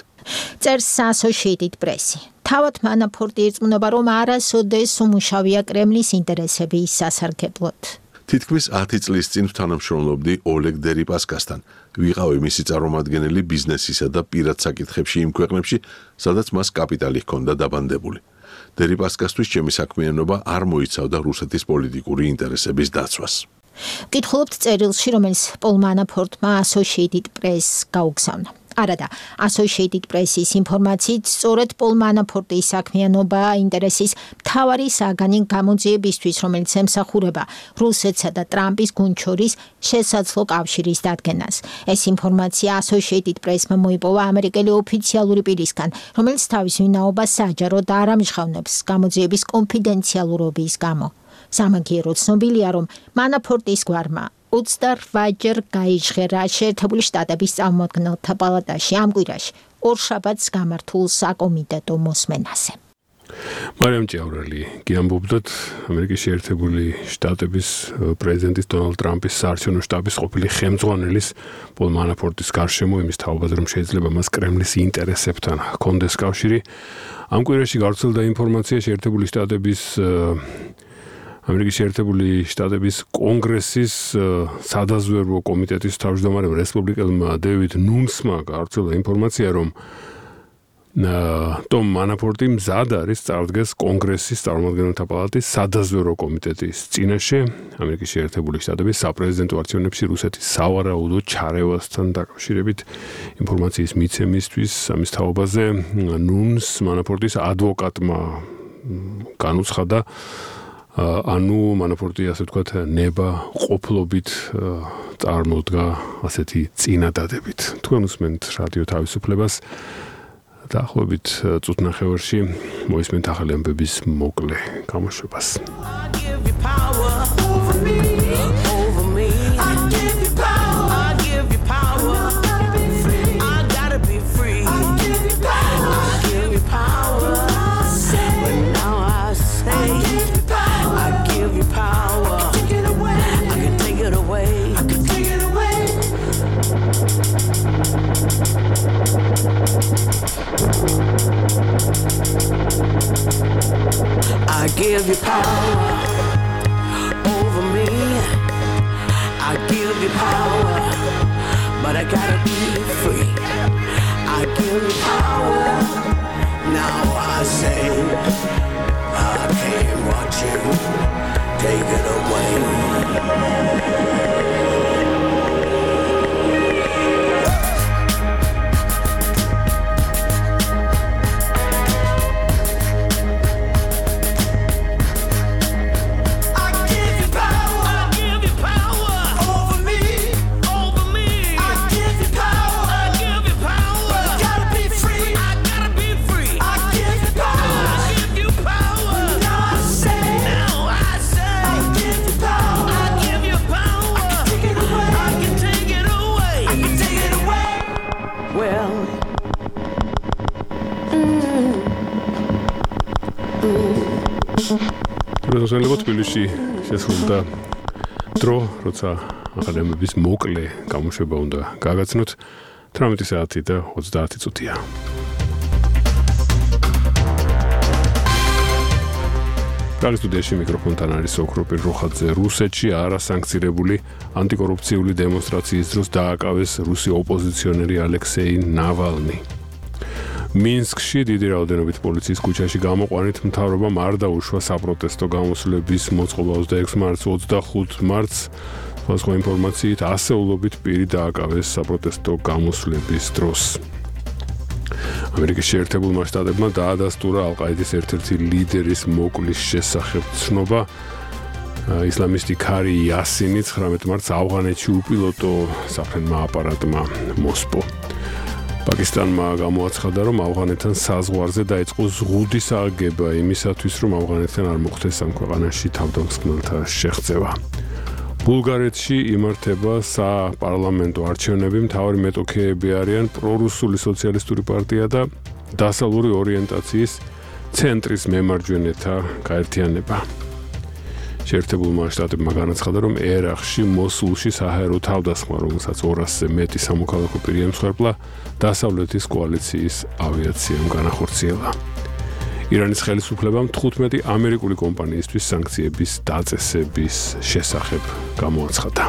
წერს Associated Press. თავად მანაფორტი ირწმუნება, რომ არასოდეს უმუშავია კრემლის ინტერესების სასარგებლოდ. თითქმის ათი წლის წინ თანამშრომლობდი ოლეგ დერიპასკასთან. ვიყავი მისი წარმომადგენელი ბიზნესისა და პირად საკითხებში იმ ქვეყნებში, სადაც მას კაპიტალი ჰქონდა დაბანდებული. დერიპასკასთვის ჩემი საქმიანობა არ მოიცავდა რუსეთის პოლიტიკური ინტერესების დაცვას. ვკითხულობთ წერილში, რომელიც პოლ მანაფორტმა Associated Press გაუგზავნა. არადა, Associated Press-ის ინფორმაციით, სწორედ პოლ მანაფორტის საქმიანობა ინტერესის მთავარი საგანი გამოძიებისთვის, რომელიც ემსახურება რუსეთსა და ტრამპის გუნდ შორის შესაძლო კავშირის დადგენას. ეს ინფორმაცია Associated Press-მა მოიპოვა ამერიკელი ოფიციალური პირისგან, რომელიც თავის ვინაობას საჯაროდ არ ამჟღავნებს გამოძიების კონფიდენციალურობის გამო. სამაგიეროდ ცნობილია, რომ მანაფორტის გვარმა ოცდაოთხჯერ გაიჟღერა შეერთებული შტატების წარმომადგენელთა პალატაში ამ კვირაში ორ შაბათს გამართულ საკომიტეტო მოსმენაზე. მარიამ ჭიაურელი გიამბობდათ ამერიკის შეერთებული შტატების პრეზიდენტის დონალდ ტრამპის საარჩევნო შტაბის ყოფილი ხელმძღვანელის პოლ მანაფორტის გარშემო იმის თაობაზე, რომ შეიძლება მას კრემლის ინტერესებთან ჰქონდეს კავშირი. ამ კვირაში გავრცელდა ინფორმაცია შეერთებული შტატების ამერიკის შეერთებული შტატების კონგრესის სადაზვერვო კომიტეტის თავმჯდომარემ რესპუბლიკელმა დევიდ ნუნსმა გავრცელდა ინფორმაცია, რომ ტომ მანაფორტი მზად არის წარდგეს კონგრესის წარმომადგენელთა პალატის სადაზვერვო კომიტეტის წინაშე ამერიკის შეერთებული შტატების საპრეზიდენტო არჩევნებში რუსეთის სავარაუდო ჩარევასთან დაკავშირებით ინფორმაციის მიცემისთვის ამის თაობაზე ნუნს მანაფორტის ადვოკატმა განუცხადა, ანუ მანაფორტი ასე ვთქვათ ნება ყოფლობით წარმოდგა ასეთი წინადადებით. თქვენ უსმენთ რადიო თავისუფლებას. დაახლოებით წუთნახევარში მოისმენთ ახალი ამბების მოკლე გამოშვებას. I give you power over me. I give you power, but I gotta be free. I give you power. Now I say I can't watch you take it away. რუსელებო თბილისში შესრულდა დრო, როცა აღარემების მოკლე გამოშვება უნდა გაგაცნოთ თერთმეტი საათი და ოცდაათი წუთია. პრაღის სტუდიაში მიკროფონთან არის ოქროპირ როხაძე. რუსეთში არასანქცირებული ანტიკორუფციული დემონსტრაციის დროს დააკავეს რუსი ოპოზიციონერი ალექსეი ნავალნი. მინსკში დიდი რაოდენობით პოლიციის ქუჩაში გამოყვანით მთავრობამ არ დაუშვა საპროტესტო გამოსვლების მოწყობა ოცდაექვსი მარტს ოცდახუთი მარტს სხვა ინფორმაციით ასეულობით პირი დააკავეს საპროტესტო გამოსვლების დროს. ამერიკის შეერთებულმა შტატებმა დაადასტურა ალ-ყაიდის ერთ-ერთი ლიდერის მოკლის შესახებ ცნობა. ისლამისტი ქარი იასინი ცხრამეტი მარტს ავღანეთში უპილოტო საფრენმა აპარატმა მოსპო. პაკისტანმა გამოაცხადა, რომ ავღანეთთან საზღვარზე დაიწყო ზღუდის აგება იმისათვის, რომ ავღანეთთან არ მოხდეს ამ ქვეყანაში თავდამსხმელთა შეღწევა. ბულგარეთში იმართება საპარლამენტო არჩევნები, მთავარი მეტოქეები არიან პრორუსული სოციალისტური პარტია და დასავლური ორიენტაციის ცენტრის მემარჯვენეთა გაერთიანება. შეერთებულმა შტატებმა განაცხადა, რომ ერაყში მოსულში საჰაერო თავდასხმა, რომელსაც ორასზე მეტი სამოქალაქო პირი ემსხვერპლა, დასავლეთის კოალიციის ავიაციამ განახორციელა. ირანის ხელისუფლებამ თხუთმეტი ამერიკული კომპანიისთვის სანქციების დაწესების შესახებ გამოაცხადა.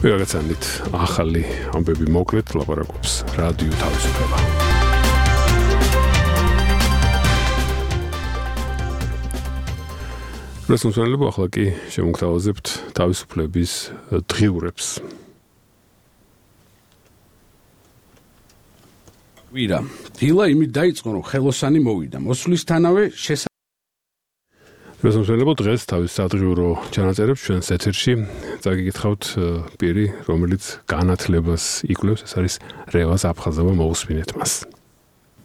ვიღაცანით ახალი ამბები მოკლედ ლაპარაკობს რადიო თავისუფლება. რესურსებო ახლა კი შემოგთავაზებთ თავისუფლების დღიურებს. ვირა, დილა იმით დაიწყო, რომ ხელოსანი მოვიდა. მოსვლისთანავე შესაძლოა რესურსებო დღეს თავის სადღიურო ჩანაწერებს ჩვენს ეთერში წაგიკითხავთ პირი, რომელიც განათლებას იკვლევს, ეს არის რევაზ აფხაზოვა, მოусმინეთ მას.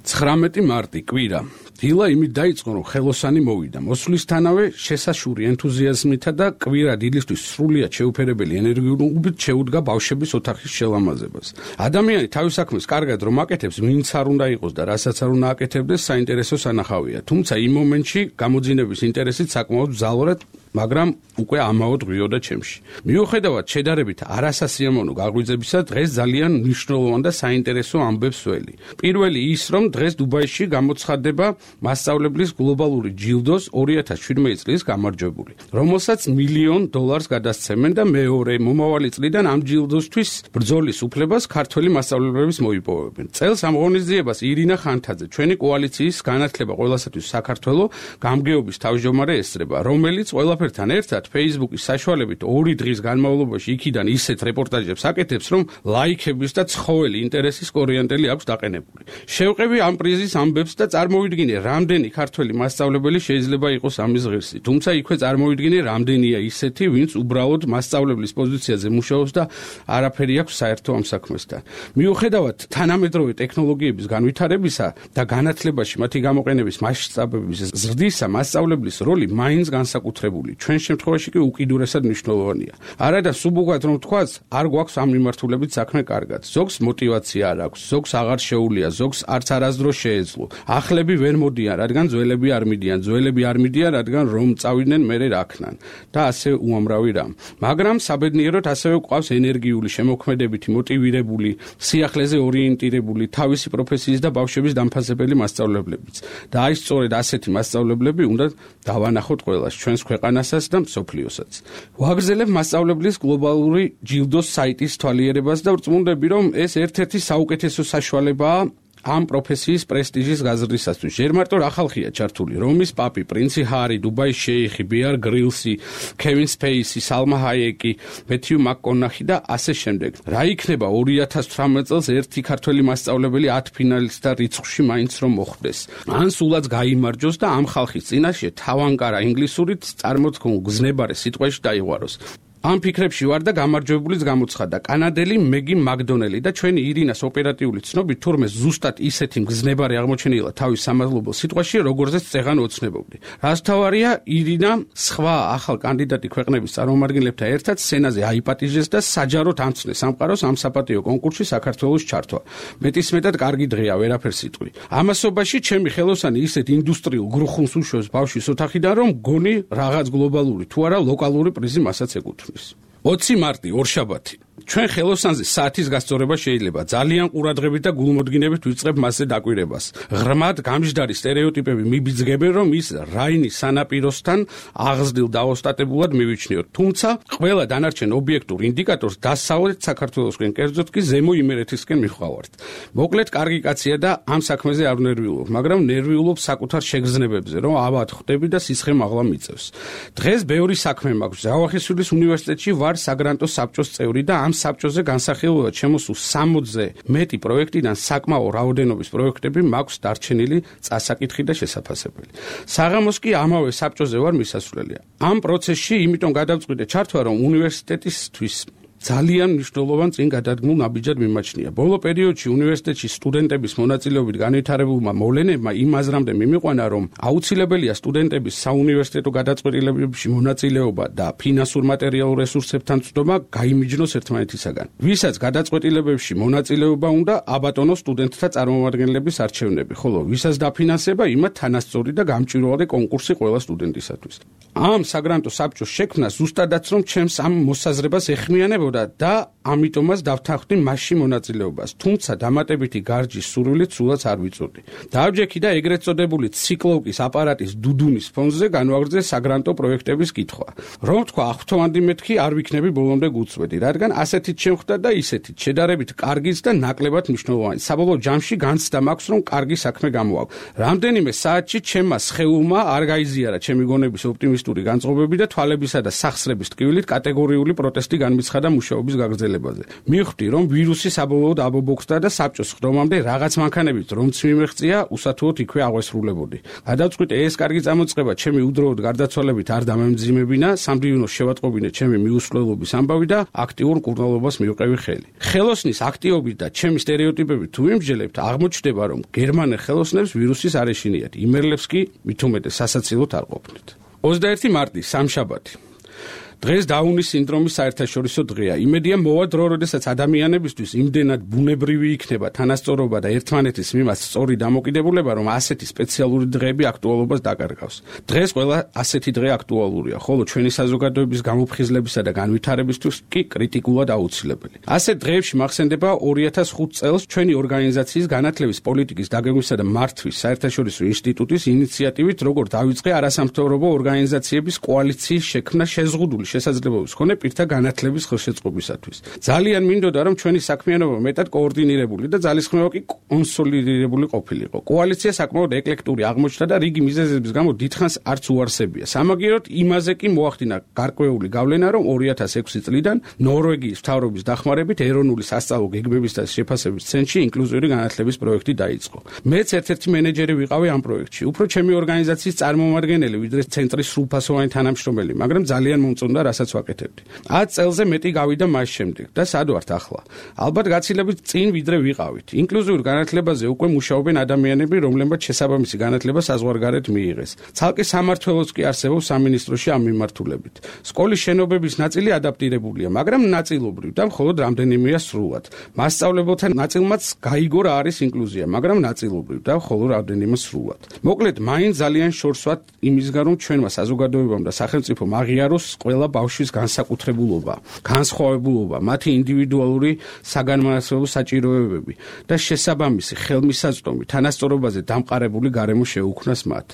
ცხრამეტი მარტი კვირა. დილა იმით დაიწყო, რომ ხელოსანი მოვიდა. მოსვლისთანავე შესაშური ენთუზიაზმითა და კვირა დილისთვის სრულიად შეუფერებელი ენერგიულობით შეუდგა ბავშვების ოთახის შელამაზებას. ადამიანი თავის საქმეს კარგად რომ აკეთებს, ვინც არ უნდა იყოს და რასაც არ უნდა აკეთებდეს, საინტერესო სანახავია. თუმცა იმ მომენტში გამოძინების ინტერესით საკმაოდ მძალურად, მაგრამ უკვე ამაოდ ღვიოდა ჩემში. მიუხედავად შედარებით არასასიამოვნო გაღვიძებისა, დღეს ძალიან მნიშვნელოვან და საინტერესო ამბებს ველი. პირველი ის, რომ დღეს დუბაიში გამოცხადდება მასწავლებლის გლობალური ჯილდოს ორი ათას შვიდმეტი წლის გამარჯვებული, რომელსაც მილიონ დოლარს გადასცემენ და მეორე მომავალი წლიდან ამ ჯილდოსთვის ბრძოლის უფლებას ქართველი მასწავლებლებს მოიპოვებენ. წელს ამ ღონისძიებას ირინა ხანთაძე, ჩვენი კოალიციის განათლება ყველასათვის საქართველოს გამგეობის თავმჯდომარე ესწრება, რომელიც ყველაფერთან ერთად Facebook-ის საშუალებით ორი დღის განმავლობაში იქიდან ისეთ რეპორტაჟებს აკეთებს, რომ ლაიქების და ცხოველი ინტერესის კორიანტელი აქვს დაყენებული. შევყევი ამ პრიზის ამბებს და წარმოვიდგინე, რამდენი ქართველი მასწავლებელი შეიძლება იყოს ამის ღირსი. თუმცა იქვე წარმოვიდგინე, რამდენია ისეთი, ვინც უბრალოდ მასწავლებლის პოზიციაზე მუშაობს და არაფერი აქვს საერთო ამ საქმესთან. მიუხედავად თანამედროვე ტექნოლოგიების განვითარებისა და განათლებაში მათი გამოყენების მასშტაბების ზრდისა, მასწავლებლის როლი მაინც განსაკუთრებული, ჩვენ შემთხვევაში კი უკიდურესად მნიშვნელოვანია. არადა სუბუქად რომ თქვას, არ გვაქვს ამ მიმართულებით საქმე კარგად. ზოგს мотиваცია არ აქვს, ზოგს აღარ შეუულია, ზოგს არც არასდროს შეეძლო. ახლები ვერ მოდიან, რადგან ძველები არ მიდიან, ძველები არ მიდიან, რადგან რომ წავიდნენ მერე რაქნან და ასე უამრავი რამ. მაგრამ საბედნიეროდ ასევე გვყავს ენერგიული, შემოქმედებითი, მოტივირებული, სიახლეზე ორიენტირებული, თავისი პროფესიის და ბავშვების დამფასებელი მასწავლებლებიც. და აი სწორედ ასეთი მასწავლებლები უნდა დავანახოთ ყველას, ჩვენს ქვეყანასაც და მსოფლიოსაც. ვაგრძელებ მასწავლებლის გლობალური ჯილდოს საიტის თვალიერებას და ვწმუნდები, რომ ეს ერთ-ერთი საუკეთესო საშუალებაა ამ პროფესიის პრესტიჟის გაზრდისათვის. ჯერ მარტო რა ხალხია ჩართული: რომის პაპი, პრინცი ჰარი, დუბაის შეიხი, ბიარ გრილსი, კევინ სპეისი, სალმა ჰაიეკი, მეთიუ მაკკონახი და ასე შემდეგ. რა იქნება ორი ათას თვრამეტ წელს ერთი ქართველი მასწავლებელი ათ ფინალისტთა რიცხვში მაინც რომ მოხვდეს. ან სულაც გაიმარჯოს და ამ ხალხის წინაშე თავანკარა ინგლისურით წარმოთქმულ გზნებარე სიტყვაში დაიღვაროს. ამ ფიქრებში ვარ და გამარჯვებულიც გამოცხადდა კანადელი მეგი მაკდონელი და ჩვენი ირინას ოპერატიული ცნობით თურმე ზუსტად ისეთი მგზნებარი აღმოჩენილა თავის სამადლობელ სიტყვაში, როგორზეც წეღან ოცნებობდი. რაც თავარია, ირინა სხვა ახალ კანდიდატი ქვეყნების წარმომადგენლებთან ერთად სენაზე აიპატიჟეს და საჯაროდ ამცნეს სამყაროს ამ საპატიო კონკურსში საქართველოს ჩართვა. მეტისმეტად კარგი დღეა, ვერაფერს იტყვი. ამასობაში ჩემი ხელოსანი ისეთ ინდუსტრიულ გრუხუნს უშვებს ბავშვის ოთახიდან, რომ გონი რაღაც გლობალური თუ არა ლოკალური პრიზი მასაც ეკუთვნის. ოცი მარტი ორშაბათი. ჩვენ ხელოსანზე საათის გასწორება შეიძლება ძალიან ყურადღებით და გულმოდგინებით ვიწყებ მასზე დაკვირებას. ღრმად გამჟდარი სტერეოტიპები მიბიძგებენ, რომ ის რაინის სანაპიროსთან აღზრდილ დაოსტატებულად მივიჩნიოთ. თუმცა ყველა დანარჩენ ობიექტურ ინდიკატორს დასავლეთ საქართველოსკენ, კერძოდ კი ზემო იმერეთისკენ მივხვავართ. მოკლედ, კარგი კაცია და ამ საქმეზე არ ნერვიულობ, მაგრამ ნერვიულობ საკუთარ შეგრძნებებზე, რომ ავად ხვდები და სისხლი მაღლა მიწევს. დღეს ბევრი საქმე მაქვს. ჯავახიშვილის უნივერსიტეტში ვარ საგრანტო საბჭოს წევრი და ამ საბჭოზე განსახილველად შემოსულ სამოცზე მეტი პროექტიდან საკმაო რაოდენობის პროექტები მაქვს დარჩენილი წასაკითხი და შესაფასებელი. საღამოს კი ამავე საბჭოზე ვარ მისასვლელია. ამ პროცესში იმიტომ გადავწყვიტე ჩართვა, რომ უნივერსიტეტისთვის ძალიან მნიშვნელოვან წინ გადადგმულ ნაბიჯად მიმაჩნია. ბოლო პერიოდში უნივერსიტეტში სტუდენტების მონაწილეობით განვითარებულმა მოვლენებმა იმ აზრამდე მიმიყვანა, რომ აუცილებელია სტუდენტების საუნივერსიტეტო გადაწყვეტილებებში მონაწილეობა და ფინანსურ მატერიალურ რესურსებთან წვდომა გაიმიჯნოს ერთმანეთისაგან. ვისაც გადაწყვეტილებებში მონაწილეობა უნდა, აბატონოს სტუდენტთა წარმომადგენლების არჩევნები, ხოლო ვისაც დაფინანსება, იმათ თანასწორი და გამჭვირვალე კონკურსი ყველა სტუდენტისათვის. ამ საგრანტო საბჭოს შექმნა ზუსტადაც რომ ჩემს ამ მოსაზრებას ეხმიანებოდა და ამიტომაც დავთანხმდი მასში მონაწილეობას. თუმცა დამატებითი გარჯის სურვილით სულაც არ ვიწოდი. დავჯექი და ეგრეთ წოდებული ციკლოვკის აპარატის დუდუნის ფონზე განვაგრძე საგრანტო პროექტების კითხვა. რომ თქვა, აღფრთოვანდი მეთქი არ ვიქნები ბოლომდე გუწვედი, რადგან ასეთით შემხვდა და ისეთით შედარებით კარგიც და ნაკლებად მნიშვნელოვანი. საბოლოო ჯამში განცდა მაქვს, რომ კარგი საქმე გამოაქვს. რამდენიმე საათში ჩემმა სხეულმა არ გაიზიარა ჩემი გონების ოპტიმისტური განწყობები და თვალებისა და სახსრების ტკივილით კატეგორიული პროტესტი განმიცხადა მუშაობის გაგრძელებაზე. მივხვდი, რომ ვირუსი საბოლოოდ აბობოქცდა და საბჭოს ხდომამდე რაღაც მანქანებით რომც მიმეღწია, უსათუოდ იქვე აღვესრულებოდი. გადავწყვიტე ეს კარგი წამოწყება ჩემი უდროოდ გარდაცვალებით არ დამემძიმებინა, სამდივნოს შევატყობინე ჩემი მიუსვლელობის ამბავი და აქტიურ კურნალობას მივყევი ხელი. ხელოსნის აქტიობით და ჩემი სტერეოტიპებით თუ ვიმსჯელებთ, აღმოჩნდება, რომ გერმანელ ხელოსნებს ვირუსის არ ეშინიათ, იმერლებს კი მით უმეტეს სასაცილოდ არ ყოფნით. ოცდაერთი მარტი, სამშაბათი. დღეს დაუნის სინდრომის საერთაშორისო დღეა. იმედია მოვა დრო, როდესაც ადამიანებისთვის იმდენად ბუნებრივი იქნება თანასწორობა და ერთმანეთის მიმართ სწორი დამოკიდებულება, რომ ასეთი სპეციალური დღეები აქტუალობას დაკარგავს. დღეს ყველა ასეთი დღე აქტუალურია, ხოლო ჩვენი საზოგადოების გამოფხიზლებისა და განვითარებისთვის კი კრიტიკულად აუცილებელი. ასეთ დღეებში მახსენდება ორი ათას ხუთი წელს ჩვენი ორგანიზაციის განათლების პოლიტიკის დაგეგმვისა და მართვის საერთაშორისო ინსტიტუტის ინიციატივით, როგორ დავიწყე არასამთავრობო ორგანიზაციების კოალიციის შექმნა შეზღუდული შესაძლებლობის მქონე პირთა განათლების ხელშეწყობისათვის. ძალიან მინდოდა, რომ ჩვენი საქმიანობა მეტად კოორდინირებული და ძალისხმევა კი კონსოლიდირებული ყოფილიყო. კოალიცია საკმაოდ ეკლექტური აღმოჩნდა და რიგი მიზეზების გამო დიდხანს არც უარსებია. სამაგიეროდ იმაზე კი მოახდინა გარკვეული გავლენა, რომ ორი ათას ექვსი წლიდან ნორვეგიის მთავრობის დახმარებით ეროვნული სასწავლო გეგმების და შეფასების ცენტრში ინკლუზიური განათლების პროექტი დაიწყო. მეც ერთ-ერთი მენეჯერი ვიყავი ამ პროექტში. უფრო ჩემი ორგანიზაციის წარმომადგენელი, ვიდრე ცენტრის სრულფასოვანი თანამშრომელი, მაგრამ ძალიან მომწონდა რასაც ვაკეთებდი. ათ წელზე მეტი გავიდა მას შემდეგ და სად ვართ ახლა? ალბათ გაცილებით წინ ვიდრე ვიყავით. ინკლუზიურ განათლებაზე უკვე მუშაობენ ადამიანები, რომლებმაც შესაბამისი განათლება საზღვარგარეთ მიიღეს. ცალკე სამმართველოც კი არსებობს სამინისტროში ამ მიმართულებით. სკოლის შენობების ნაწილი ადაპტირებულია, მაგრამ ნაწილობრივ და მხოლოდ რამდენიმეა სრულად. მასწავლებელთა ნაწილმაც გაიგო რა არის ინკლუზია, მაგრამ ნაწილობრივ და მხოლოდ რამდენიმე სრულად. მოკლედ, მაინც ძალიან შორს ვართ იმისგან, რომ ჩვენმა საზოგადოებამ და სახელმწიფომ აღიაროს ყველა ბავშვის განსაკუთრებულობა, განსხვავებულობა, მათი ინდივიდუალური საგანმანათლებლო საჭიროებები და შესაბამისი ხელმისაწვდომი თანასწორობაზე დამყარებული გარემო შეუქმნას მათ.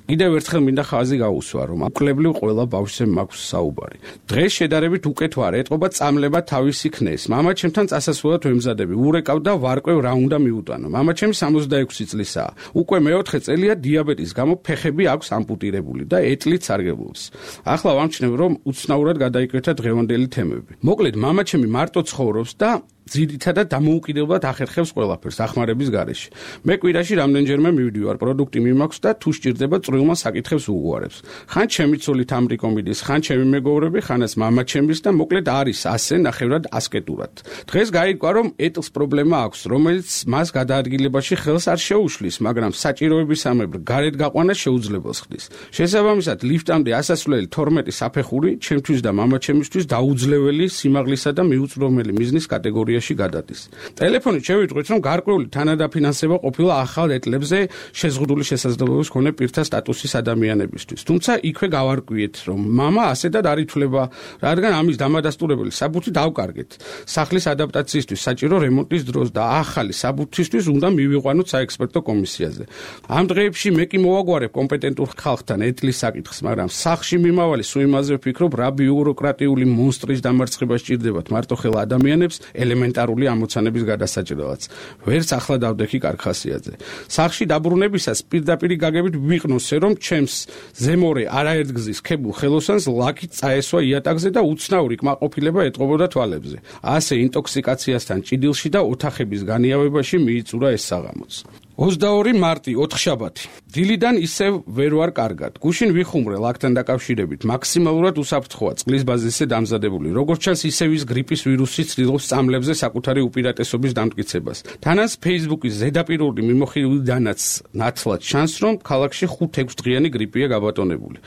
კიდევ ერთხელ მინდა ხაზი გაუსვა, რომ უკლებლივ ყველა ბავშვზე მაქვს საუბარი. დღეს შედარებით უკეთ ვარ, ეტყობა წამლება თავისი ქნეს. მამაჩემთან წასასვლელად ვემზადები, ურეკავ და ვარკვევ რა უნდა მიუტანო. მამაჩემი სამოცდაექვსი წლისაა. უკვე მეოთხე წელია დიაბეტის გამო ფეხები აქვს ამპუტირებული და ეტლით სარგებლობს. ახლა ვამჩნევ, რომ უცნაურად გადაიკვეთა დღევანდელი თემები. მოკლედ, მამაჩემი მარტო ცხოვრობს და ძირითადად დამოუკიდებლად ახერხებს ყველაფერს ახმარების გარეშე. მე კვირაში რამდენჯერმე მივდივარ, პროდუქტი მიმაქვს და თუ სჭირდება წვრილმა საკითხებს უგვარებს. ხან ჩემი ცოლით ამრიკო მიდის, ხან ჩემი მეგობრები, ხანაც მამა ჩემის და მოკლედ არის ასე ნახევრად ასკეტურად. დღეს გაიგვა რომ ეტლს პრობლემა აქვს, რომელიც მას გადაადგილებაში ხელს არ შეუშლის, მაგრამ საჭიროებისამებრ გარეთ გაყვანა შეუძლებელს ხდის. შესაბამისად, ლიფტამდე ასასვლელი თორმეტი საფეხური ჩემთვის და მამა ჩემისთვის დაუძლეველი სიმაღლისა და მიუწვდომელი მიზნის კატეგორიაში გადადის. ტელეფონით შევიტყვით, რომ გარკვეული თანადაფინანსება ყოფილა ახალ ეტლებზე შეზღუდული შესაძლებლობის მქონე პირთა სტატუსის ადამიანებისთვის. თუმცა იქვე გავარკვიეთ, რომ მამა ასეთად არ ითვლება, რადგან ამის დამადასტურებელი საბუთი დავკარგეთ. სახლის ადაპტაციისთვის საჭირო რემონტის დროს და ახალი საბუთისთვის უნდა მივიყვანოთ საექსპერტო კომისიაზე. ამ დღეებში მე კი მოვაგვარებ კომპეტენტურ ხალხთან ეტლის საკითხს, მაგრამ სახში მიმავალი სულ იმაზე ვფიქრობ, რა ბიუროკრატიული მონსტრის დამარცხება სჭირდებათ მარტოხელა ადამიანებს ელემენტარული ამოცანების გადასაჭრელად. ვერც ახლა დავდექი კარხასიაძე. სახში დაბრუნებისას პირდაპირი გაგებით ვიყნოსე, რომ ჩემს ზემორე არაერთგზის ქებულ ხელოსანს ლაკით წაესვა იატაკზე და უცნაური კმაყოფილება ეტყობოდა თვალებზე. ასე ინტოქსიკაციასთან ჭიდილში და ოთახების განიავებაში მიიწურა ეს საღამოც. ოცდაორი მარტი, ოთხშაბათი. დილიდან ისევ ვერ ვარ კარგად. გუშინ ვიხუმრე ლაკთან დაკავშირებით. მაქსიმალურად უსაფრთხოა წყლის ბაზისზე დამზადებული. როგორც ჩანს, ისევ ის გრიპის ვირუსი ცდილობს წამლებზე საკუთარი უპირატესობის დამტკიცებას. თანაც Facebook-ის ზედაპირული მიმოხილვიდანაც ნათლად ჩანს, რომ ქალაქში ხუთ-ექვს დღიანი გრიპია გაბატონებული.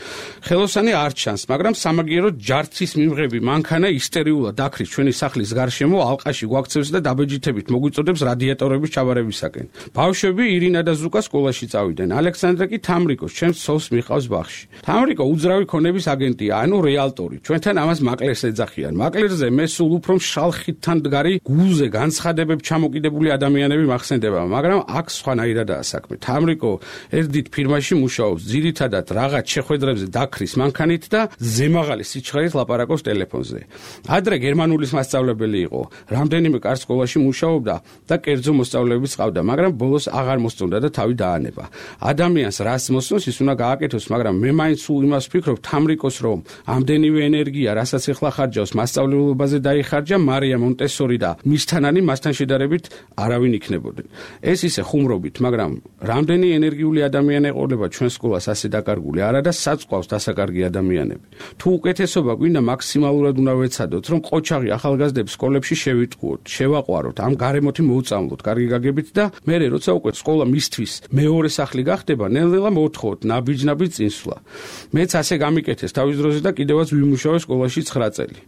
ხელოსანი არ ჩანს, მაგრამ სამაგიეროდ ჯარცის მიმღები მანქანა ისტერიულად დაქრის ჩვენი სახლის გარშემო, ალყაში გვაქცევს და დაბეჯითებით მოგვიწოდებს რადიატორების ჩავარებისაკენ. ბავშვები ირინა და ზუკა სკოლაში წავიდნენ. ალექსანდრე კი თამრიკოს ჩემს ცოლს მიყავს ბაღში. თამრიკო უძრავი ქონების აგენტია, ანუ რეალტორი. ჩვენთან ამას მაკლერს ეძახიან. მაკლერზე მე სულ უფრო მშრალ ხიდთან მდგარი გულზე განცხადებებ ჩამოკიდებული ადამიანები მახსენდება, მაგრამ აქ სხვანაირადაა საქმე. თამრიკო ერთდით ფირმაში მუშაობს, ძირითადად რაღაც შეხვედრებზე დაქრის მანქანით და ზემაღალი სიჩქარით ლაპარაკობს ტელეფონზე. ადრე გერმანულის მასწავლებელი იყო, რამდენიმე კარგ სკოლაში მუშაობდა და კერძო მოსწავლეებიც ყავდა, მაგრამ ბოლოს აღარ მოსწონდა და თავი დაანება. ადამიანს რას მოსწონს, ის უნდა გააკეთოს, მაგრამ მე მაინც სულ იმას ვფიქრობ, თამრიკოს რომ ამდენივე ენერგია, რასაც ეხლა ხარჯავს, მასწავლებლებაზე დაიხარჯა მარია მონტესორი და მისთანანი მასთან შედარებით არავინ იქნებოდნენ. ეს ისე ხუმრობით, მაგრამ რამდენი ენერგიული ადამიანი ეყოლება ჩვენ სკოლას ასე დაკარგული, არა და საწყავს დასაკარგი ადამიანები. თუ უკეთესობა გვინდა, მაქსიმალურად უნდა ვეცადოთ, რომ ყოჩაღი ახალგაზრდებს სკოლებში შევიტყუოთ, შევაყვაროთ, ამ გარემოთი მოუწამლოთ, კარგი გაგებით და მე როცა უკვე სკოლა მისთვის მეორე სახლი გახდება, ნელ-ნელა მოვთხოვოთ ნაბიჯ-ნაბიჯ წინსვლა. მეც ასე გამიკეთეს თავის დროზე და კიდევაც ვიმუშავე სკოლაში ცხრა წელი.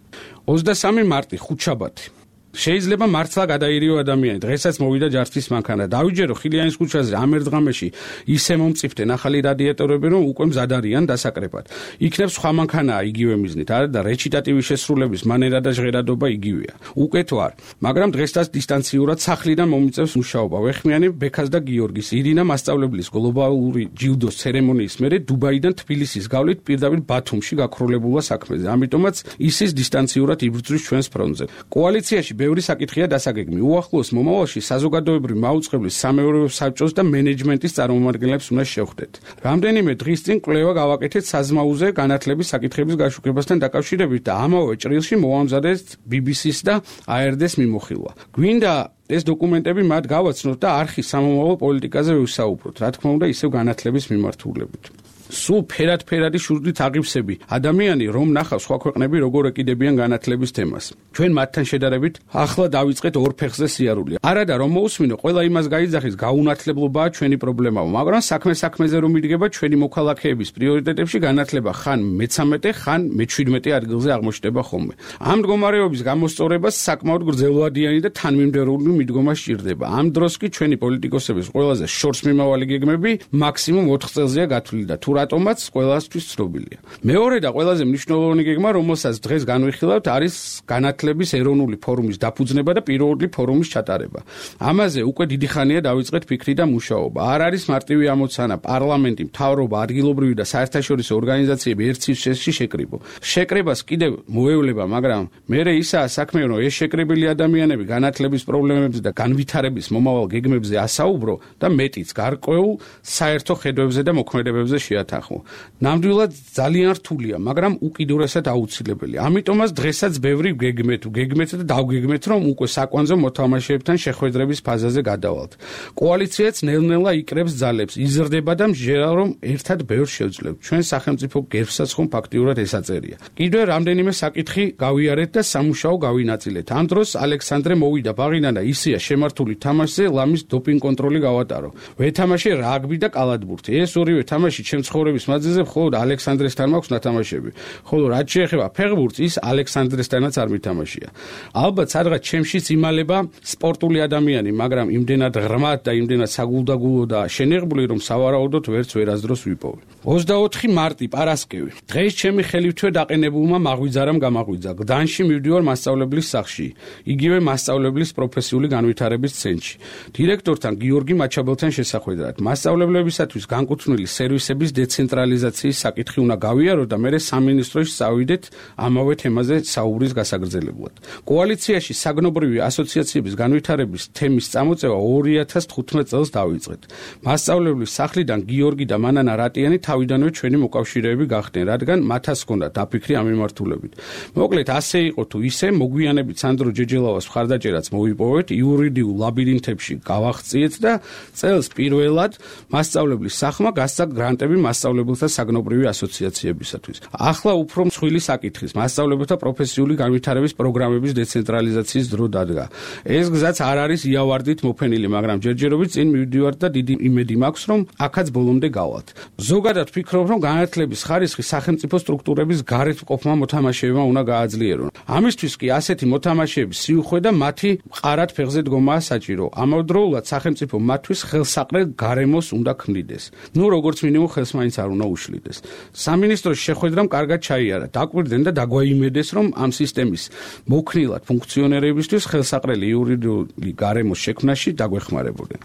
ოცდასამი მარტი, ხუთშაბათი. შეიძლება მართლა გადაირიო ადამიანი. დღესაც მოვიდა ჯარცის მანქანა. დავიჯერო ხილიანის ქუჩაზე ამ ერთ დღამში ისე მომწიფდნენ ახალი რადიატორები, რომ უკვე მზად არიან დასაკრებად. იქნებ სხვა მანქანაა იგივე მიზნით, არა და რეჩიტატივის შესრულების მანერა და ჟღერადობა იგივეა. უკეთ ვარ, მაგრამ დღესაც დისტანციურად სახლიდან მომიწევს მუშაობა. ვეხმიანი ბექას და გიორგის, ირინა მასწავლებლის გლობალური ჯილდოს ცერემონიის მერე დუბაიდან თბილისის გავლით პირდაპირ ბათუმში გაქროლებულა საქმეზე. ამიტომაც ისის დისტანციურად იბრძვის ჩვენს ფრონტზე. კოალიციაში ბევრი საკითხია დასაგეგმი. უახლოეს მომავალში საზოგადოებრივი მაუწყებლის სამეურვეო საბჭოს და მენეჯმენტის წარმომადგენლებს უნდა შევხვდეთ. რამდენიმე დღის წინ კვლევა გავაკეთეთ საზმაუზე განათლების საკითხების გაშუქებასთან დაკავშირებით და ამავე ჭრილში მოვამზადეთ ბი ბი სის და აი არ დი-ს მიმოხილვა. გვინდა ეს დოკუმენტები მათ გავაცნოთ და არხის სამომავლო პოლიტიკაზე ვისაუბროთ, რა თქმა უნდა, ისევ განათლების მიმართულებით. სულ ფერად-ფერადი შურდით აღივსები ადამიანი რომ ნახავს სხვა ქვეყნები როგორ ეკიდებიან განათლების თემას. ჩვენ მათთან შედარებით ახლა დავიწყეთ ორ ფეხზე სიარული. არადა რომ მოусმინო, ყველა იმას გაიძახის, გაუნათლებლობაა ჩვენი პრობლემაა, მაგრამ საქმე საქმეზე რომ იდგება ჩვენი მოქალაქეების პრიორიტეტებში განათლება ხან მეცამეტე, ხან მეჩვიდმეტე ადგილზე აღმოჩნდება ხოლმე. ამ მდგომარეობის გამოსწორებას საკმაოდ გრძელვადიანი და თანმიმდევრული მიდგომა სჭირდება. ამ დროს კი ჩვენი პოლიტიკოსების ყველაზე შორს მიმავალი გეგმები მაქსიმუმ ოთხ წელზეა გათვლილი და თუ რატომაც ყველასთვის ცნობილია. მეორე და ყველაზე მნიშვნელოვანი გეგმა, რომელსაც დღეს განვიხილავთ, არის განათლების ეროვნული ფორუმის დაფუძნება და პირველი ფორუმის ჩატარება. ამაზე უკვე დიდი ხანია დავიწყეთ ფიქრი და მუშაობა. არ არის მარტივი ამოცანა პარლამენტი, მთავრობა, ადგილობრივი და საერთაშორისო ორგანიზაციები ერთ სივრცეში შეკრიბო. შეკრებას კიდევ მოევლება, მაგრამ მერე ისაა საქმე, რომ ეს შეკრებილი ადამიანები განათლების პრობლემებზე და განვითარების მომავალ გეგმებზე ასაუბრო და მეტიც გარკვეულ საერთო ხედვებზე და მოქმედებებზე შეატყო. სათანხმო. ნამდვილად ძალიან რთულია, მაგრამ უკიდურესად აუცილებელი. ამიტომაც დღესაც ბევრი გეგმეთ, გეგმეთ და დავგეგმეთ, რომ უკვე საკვანძო მოთამაშეებთან შეხვედრების ფაზაზე გადავალთ. კოალიციაც ნელ-ნელა იკრებს ძალებს, იზრდება და მსჯერა რომ ერთად ბევრს შევძლებთ. ჩვენ სახელმწიფო გერბსაც ხომ ფაქტიურად ესაწერია. კიდევ რამდენიმე საკითხი გავიარეთ და სამუშაო გავინაწილეთ. ამ დროს ალექსანდრე მოვიდა ბაღიდან და ისია შემართული თამაშზე ლამის დოპინგ კონტროლი გავატარო. ვეთამაშე რაგბი და კალათბურთი. ეს ორივე თამაში ჩემ ცხოვრების მანძილზე მხოლოდ ალექსანდრესთან მაქვს ნათამაშები. ხოლო რაც შეეხება ფეხბურთს, ის ალექსანდრესთანაც არ მითამაშია. ალბათ სადღაც ჩემშიც იმალება სპორტული ადამიანი, მაგრამ იმდენად ღრმად და იმდენად საგულდაგულო და შენიღბული, რომ სავარაუდოდ ვერც ვერასდროს ვიპოვე. ოცდაოთხი მარტი პარასკევი. დღეს ჩემი ხელივთვე დაყენებულმა მაღვიძარამ გამაღვიძა. გდანში მივდივარ მასწავლებლის სახლში, იგივე მასწავლებლის პროფესიული განვითარების ცენტრში. დირექტორთან გიორგი მაჩაბელთან შესახვედრად. მასწავლებლებისათვის განკუთვნილი სერვისების დეცენტრალიზაციის საკითხი უნდა გავიარო და მერე სამინისტროში წავიდეთ ამავე თემაზე საუბრის გასაგრძელებლად. კოალიციაში საგნობრივი ასოციაციების განვითარების თემის წამოწევა ორი ათას თხუთმეტ წელს დავიწყეთ. მასწავლებლის სახლიდან გიორგი და მანანა რატიანი თავიდანვე ჩვენი მოკავშირეები გახდნენ, რადგან მათაც ჰქონდათ დაფიქრი ამ მიმართულებით. მოკლედ ასე იყო თუ ისე, მოგვიანებით სანდრო ჯეჯელავას მხარდაჭერაც მოვიპოვეთ, იურიდიულ ლაბირინთებში გავახციეთ და წელს პირველად მასწავლებლის სახლმა გასცა გრანტები მასწავლებელთა საგნობრივი ასოციაციებისათვის. ახლა უფრო მსხვილი საკითხის მასწავლებელთა პროფესიული განვითარების პროგრამების დეცენტრალიზაციის დრო დადგა. ეს გზაც არ არის იავარდით მოფენილი, მაგრამ ჯერჯერობით წინ მივდივართ და დიდი იმედი მაქვს, რომ აქაც ბოლომდე გავალთ. ზოგადად ვფიქრობ, რომ განათლების ხარისხი სახელმწიფო სტრუქტურების გარეთ მყოფმა მოთამაშეებმა უნდა გააძლიერონ. ამისთვის კი ასეთი მოთამაშეების სიუხვე და მათი მყარად ფეხზე დგომაა საჭირო. ამავდროულად სახელმწიფო მათთვის ხელსაყრელ გარემოს უნდა ქმნიდეს. ნუ როგორც მინიმუმ ხელს მაინც არ უნდა უშლიდეს. სამინისტროს შეხვედრამ კარგად ჩაიარა. დაკვირდნენ და დაგვაიმედეს, რომ ამ სისტემის მოქნილად ფუნქციონერებისთვის ხელსაყრელი იურიდიული გარემოს შექმნაში დაგვეხმარებოდნენ.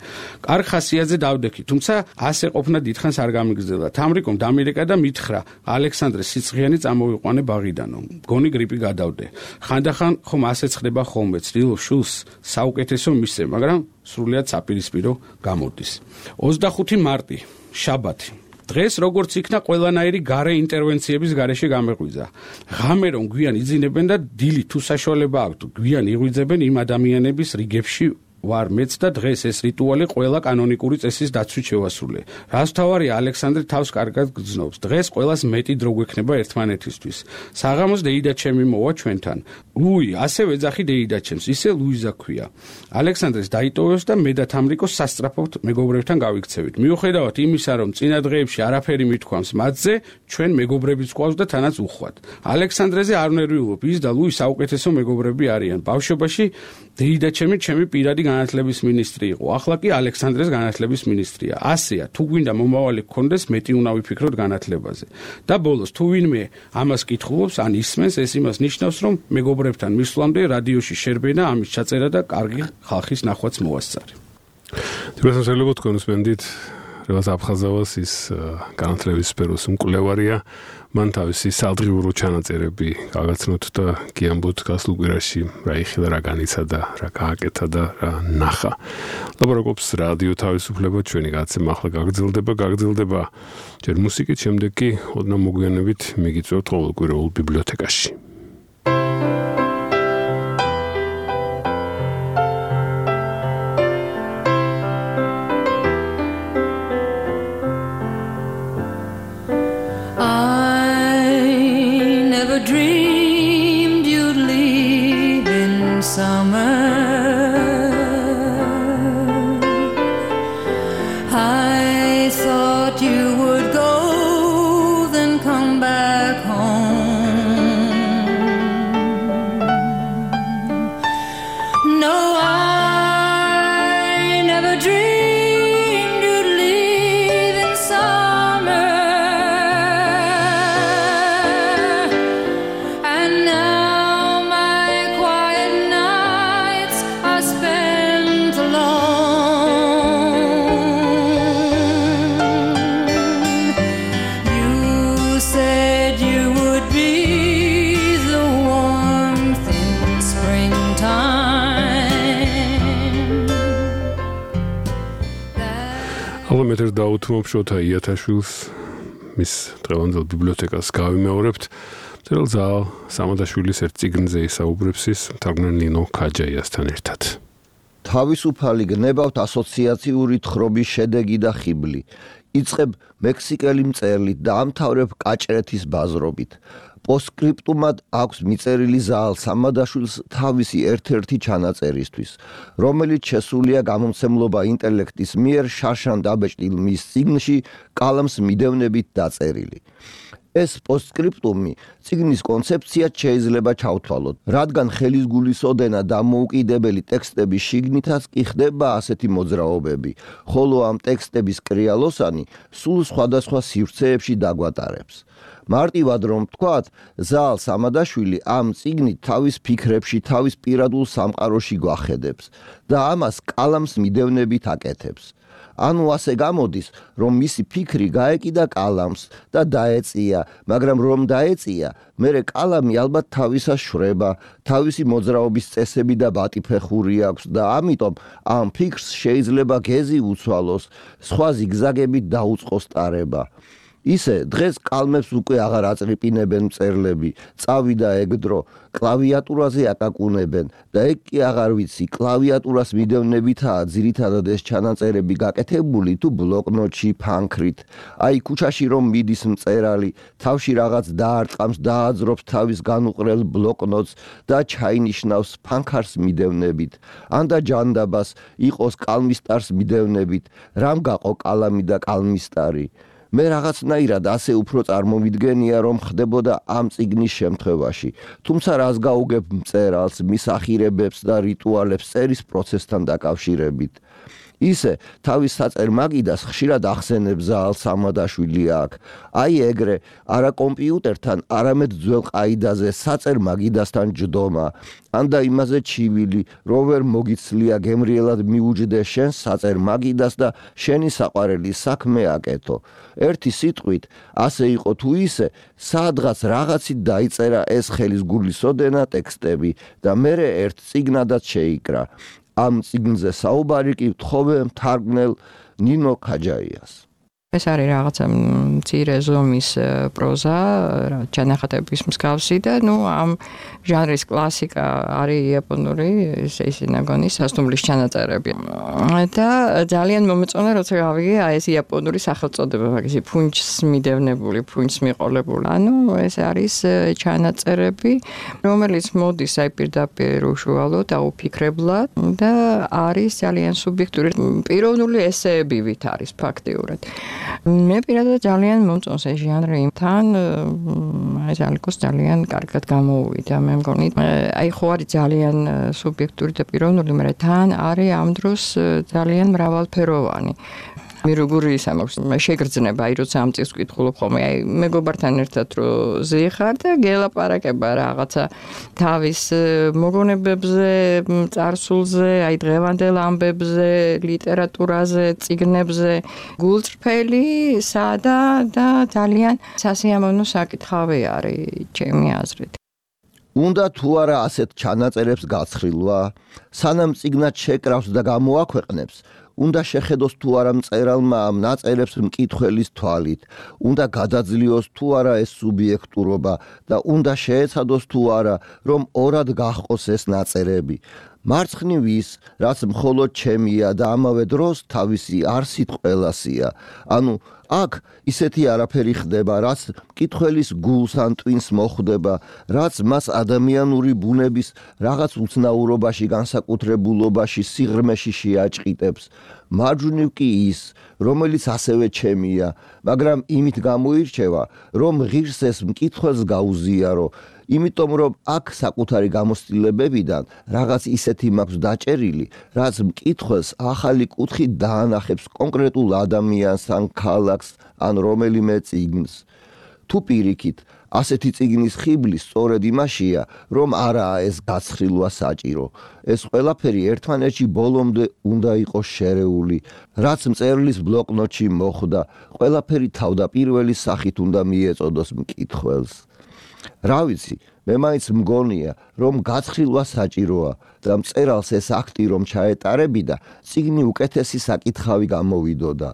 კარგ ხასიათზე დავდექით, თუმცა ასე ყოფნა დიდხანს არ გამიგრძელდა. თამრიკომ დამირეკა და მითხრა ალექსანდრეს სიცხიანი წამოვიყვანე ბაღიდანო. მგონი გრიპი გადავდე. ხანდახან ხომ ასეც ხდება ხოლმე, ცდილობ შულს საუკეთესო მისცე, მაგრამ სრულიად საპირისპირო გამოდის. ოცდახუთი მარტი, შაბათი. დღეს როგორც იქნა ყველანაირი გარე ინტერვენციების გარეშე გამეღვიძა. ღამე რომ გვიან იძინებენ და დილი თუ საშუალება აქვთ, გვიან იღვიძებენ იმ ადამიანების რიგებში ვარ მეც და დღეს ეს რიტუალი ყველა კანონიკური წესის დაცვით შევასრულე. რას თავარია ალექსანდრე თავს კარგად გრძნობს. დღეს ყველას მეტი დრო გვექნება ერთმანეთისთვის. საღამოს დეიდაჩემი მოვა ჩვენთან. ლუი, ასევე ეძახი დეიდაჩემს, ისე ლუიზა ქვია. ალექსანდრეს დაიტოვებს და მე და თამრიკო სასწრაფოდ მეგობრებთან გავიქცევით. მიუხედავად იმისა, რომ წინა დღეებში არაფერი მithქვამს მათზე, ჩვენ მეგობრებიც გვყავს და თანაც უხვად. ალექსანდრეზე არ ვნერვიულობ, ის და ლუი საუკეთესო მეგობრები არიან. ბავშვობაში დეიდაჩემი ჩემი პირადი განათლების მინისტრი იყო. ახლა კი ალექსანდრეს განათლების მინისტრია. ასეა, თუ გვინდა მომავალი გქონდეს, მეტი უნდა ვიფიქროთ განათლებაზე. და ბოლოს, თუ ვინმე ამას კითხულობს, ან ისმენს, ეს იმას ნიშნავს, რომ მეგობრებთან მისვლამდე რადიოში შერბენა, ამის ჩაწერა და კარგი ხალხის ნახვაც მოასწარი. თუმცა შეიძლება თქვენ უსმენდით რევაზ აფხაზავას ის განათლების სფეროს მკვლევარია. მან თავისი სალდღიურო ჩანაწერები გაგაცნოთ და გიამბოთ გასულ კვირაში რა იხილა, რა განიცა და რა გააკეთა და რა ნახა. ლაპარაკობს რადიო თავისუფლება, ჩვენი გაცემა ახლა გაგრძელდება, გაგრძელდება ჯერ მუსიკით, შემდეგ კი ოდნავ მოგვიანებით მიგიწევთ ყოველკვირეულ ბიბლიოთეკაში. Dreamed you'd leave in summer. I thought you would go, then come back home. No, I never dreamed you'd leave in summer. ალამეთერ დაუთმობ შოთა იათაშვილს მის დღევანდელ ბიბლიოთეკას გავიმეორებთ. მწერალ ზაალ სამადაშვილის ერთ წიგნზე ისაუბრებს ის მთარგმნელ ნინო ქაჯაიასთან ერთად. თავისუფალი გნებავთ ასოციაციური თხრობის შედეგი და ხიბლი. იწყებ მექსიკელი მწერლით და ამთავრებ კაჭრეთის ბაზრობით. პოსტსკრიპტუმად აქვს მიწერილი ზაალ სამადაშვილს თავისი ერთ-ერთი ჩანაწერისთვის, რომელიც შესულია გამომცემლობა ინტელექტის მიერ შარშან დაბეჭდილ მის წიგნში კალამს მიდევნებით დაწერილი. ეს პოსტსკრიპტუმი წიგნის კონცეფციად შეიძლება ჩავთვალოთ, რადგან ხელისგულისოდენა დამოუკიდებელი ტექსტების შიგნითაც კი ხდება ასეთი მოძრაობები, ხოლო ამ ტექსტების კრიალოსანი სულ სხვადასხვა სივრცეებში დაგვატარებს. მარტივად რომ ვთქვათ, ზაალ სამადაშვილი ამ წიგნით თავის ფიქრებში, თავის პირადულ სამყაროში გვახედებს და ამას კალამს მიდევნებით აკეთებს. ანუ ასე გამოდის, რომ მისი ფიქრი გაეკიდა კალამს და დაეწია, მაგრამ რომ დაეწია, მერე კალამი ალბათ თავისას შვრება, თავისი მოძრაობის წესები და ბატიფეხური აქვს და ამიტომ ამ ფიქრს შეიძლება გეზი უცვალოს, სხვა ზიგზაგებით დაუწყოს ტარება. ისე დღეს კალმებს უკვე აღარ აწრიპინებენ მწერლები, წავიდა ეგ დრო, კლავიატურაზე აკაკუნებენ და ეგ კი აღარ ვიცი, კლავიატურას მიდევნებითაა ძირითადად ეს ჩანაწერები გაკეთებული თუ ბლოკნოტში ფანქრით. აი ქუჩაში რომ მიდის მწერალი, თავში რაღაც დაარტყამს, დააძრობს თავის განუყრელ ბლოკნოტს და ჩაინიშნავს ფანქარს მიდევნებით. ან და ჯანდაბას იყოს კალმისტარს მიდევნებით, რამ გაყო კალამი და კალმისტარი. მე რაღაცნაირად ასე უფრო წარმოვიდგენია, რომ ხდებოდა ამ წიგნის შემთხვევაში, თუმცა რას გაუგებ მწერალს, მის ახირებებს და რიტუალებს წერის პროცესთან დაკავშირებით. ისე თავის საწერ მაგიდას ხშირად ახსენებს ზაალ სამადაშვილი აქ. აი ეგრე, არა კომპიუტერთან, არამედ ძველ ყაიდაზე საწერ მაგიდასთან ჯდომა. ან და იმაზე ჩივილი, რო ვერ მოგიცლია გემრიელად მიუჯდე შენ საწერ მაგიდას და შენი საყვარელი საქმე აკეთო. ერთი სიტყვით, ასე იყო თუ ისე, სადღაც რაღაცით დაიწერა ეს ხელისგულისოდენა ტექსტები და მერე ერთ წიგნადაც შეიკრა. ამ წიგნზე საუბარი კი ვთხოვე მთარგმნელ ნინო ქაჯაიას. ეს არის რაღაცა მცირე ზომის პროზა, ჩანახატების მსგავსი და ნუ ამ ჟანრის კლასიკა არის იაპონური სეისინაგონის სასტუმრის ჩანაწერები. და ძალიან მომეწონა, როცა გავიგე აი ეს იაპონური სახელწოდება, მაგისი ფუნჩს მიდევნებული, ფუნჩს მიყოლებული. ანუ ეს არის ჩანაწერები, რომელიც მოდის აი პირდაპირ უშუალოდ, აუფიქრებლად და არის ძალიან სუბიექტური, პიროვნული ესეებივით არის ფაქტიურად. მე პირადად ძალიან მომწონს ეს ჟანრი, თან ეს ალკოს ძალიან კარგად გამოუვიდა. მე მგონი, აი ხო არის ძალიან სუბიექტური და პიროვნული, მაგრამ თან არის ამ დროს ძალიან მრავალფეროვანი. მე როგორი ისა მაქვს შეგრძნება, აი როცა ამ წელს ვკითხულობ ხოლმე, აი მეგობართან ერთად რო ზიხარ და გელაპარაკება რაღაცა თავის მოგონებებზე, წარსულზე, აი დღევანდელ ამბებზე, ლიტერატურაზე, წიგნებზე, გულწრფელი, სადა და ძალიან სასიამოვნო საკითხავი არის ჩემი აზრით. უნდა თუ არა ასეთ ჩანაწერებს გაცხრილვა, სანამ წიგნად შეკრავს და გამოაქვეყნებს, უნდა შეხედოს თუ არა მწერალმა ამ ნაწერებს მკითხველის თვალით, უნდა გადაძლიოს თუ არა ეს სუბიექტურობა და უნდა შეეცადოს თუ არა, რომ ორად გაჰყოს ეს ნაწერები. მარცხნივ ის, რაც მხოლოდ ჩემია და ამავე დროს თავისი არსით ყველასია. ანუ აქ ისეთი არაფერი ხდება, რაც მკითხველის გულს ან ტვინს მოხვდება, რაც მას ადამიანური ბუნების რაღაც უცნაურობაში, განსაკუთრებულობაში, სიღრმეში შეაჭყიტებს. მარჯვნივ კი ის, რომელიც ასევე ჩემია, მაგრამ იმით გამოირჩევა, რომ ღირს ეს მკითხველს გაუზიარო, იმიტომ რომ აქ საკუთარი გამოცდილებებიდან რაღაც ისეთი მაქვს დაჭერილი, რაც მკითხველს ახალი კუთხით დაანახებს კონკრეტულ ადამიანს ან ქალაქს ან რომელიმე წიგნს. თუ პირიქით, ასეთი წიგნის ხიბლი სწორედ იმაშია, რომ არაა ეს გაცხრილვა საჭირო. ეს ყველაფერი ერთმანეთში ბოლომდე უნდა იყოს შერეული, რაც მწერლის ბლოკნოტში მოხვდა, ყველაფერი თავდაპირველი სახით უნდა მიეწოდოს მკითხველს. რა ვიცი, მე მაინც მგონია, რომ გაცხრილვა საჭიროა და მწერალს ეს აქტი რომ ჩაეტარებიდა, წიგნი უკეთესი საკითხავი გამოვიდოდა.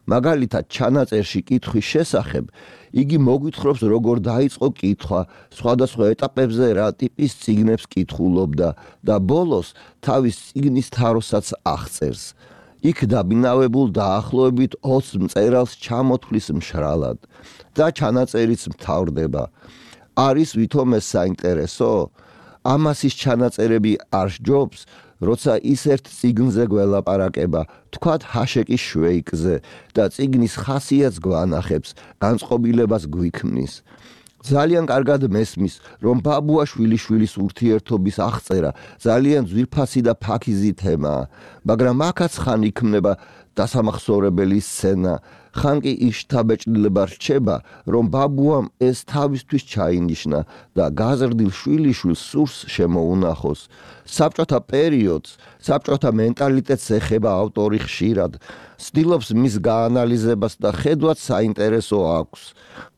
მაგალითად, ჩანაწერში კითხვის შესახებ იგი მოგვითხრობს, როგორ დაიწყო კითხვა, სხვადასხვა ეტაპებზე რა ტიპის წიგნებს კითხულობდა და ბოლოს თავის წიგნის თაროსაც აღწერს. იქ დაბინავებულ დაახლოებით ოცს მწერალს ჩამოთვლის მშრალად და ჩანაწერიც მთავრდება. არის ვითომ ეს საინტერესო? ამას ის ჩანაწერები არ სჯობს, როცა ის ერთ წიგნზე გველაპარაკება, თქვათ ჰაშეკის შვეიკზე და წიგნის ხასიათს გვანახებს, განწყობილებას გვიქმნის. ძალიან კარგად მესმის, რომ ბაბუაშვილიშვილის ურთიერთობის აღწერა ძალიან ძვირფასი და ფაქიზი თემაა, მაგრამ აქაც ხან იქმნება დასამახსოვრებელი სცენა, ხან კი ის შთაბეჭდილება რჩება, რომ ბაბუამ ეს თავისთვის ჩაინიშნა და გაზრდილ შვილიშვილს სურს შემოუნახოს. საბჭოთა პერიოდს, საბჭოთა მენტალიტეტს ეხება ავტორი ხშირად, ცდილობს მის გაანალიზებას და ხედვაც საინტერესო აქვს.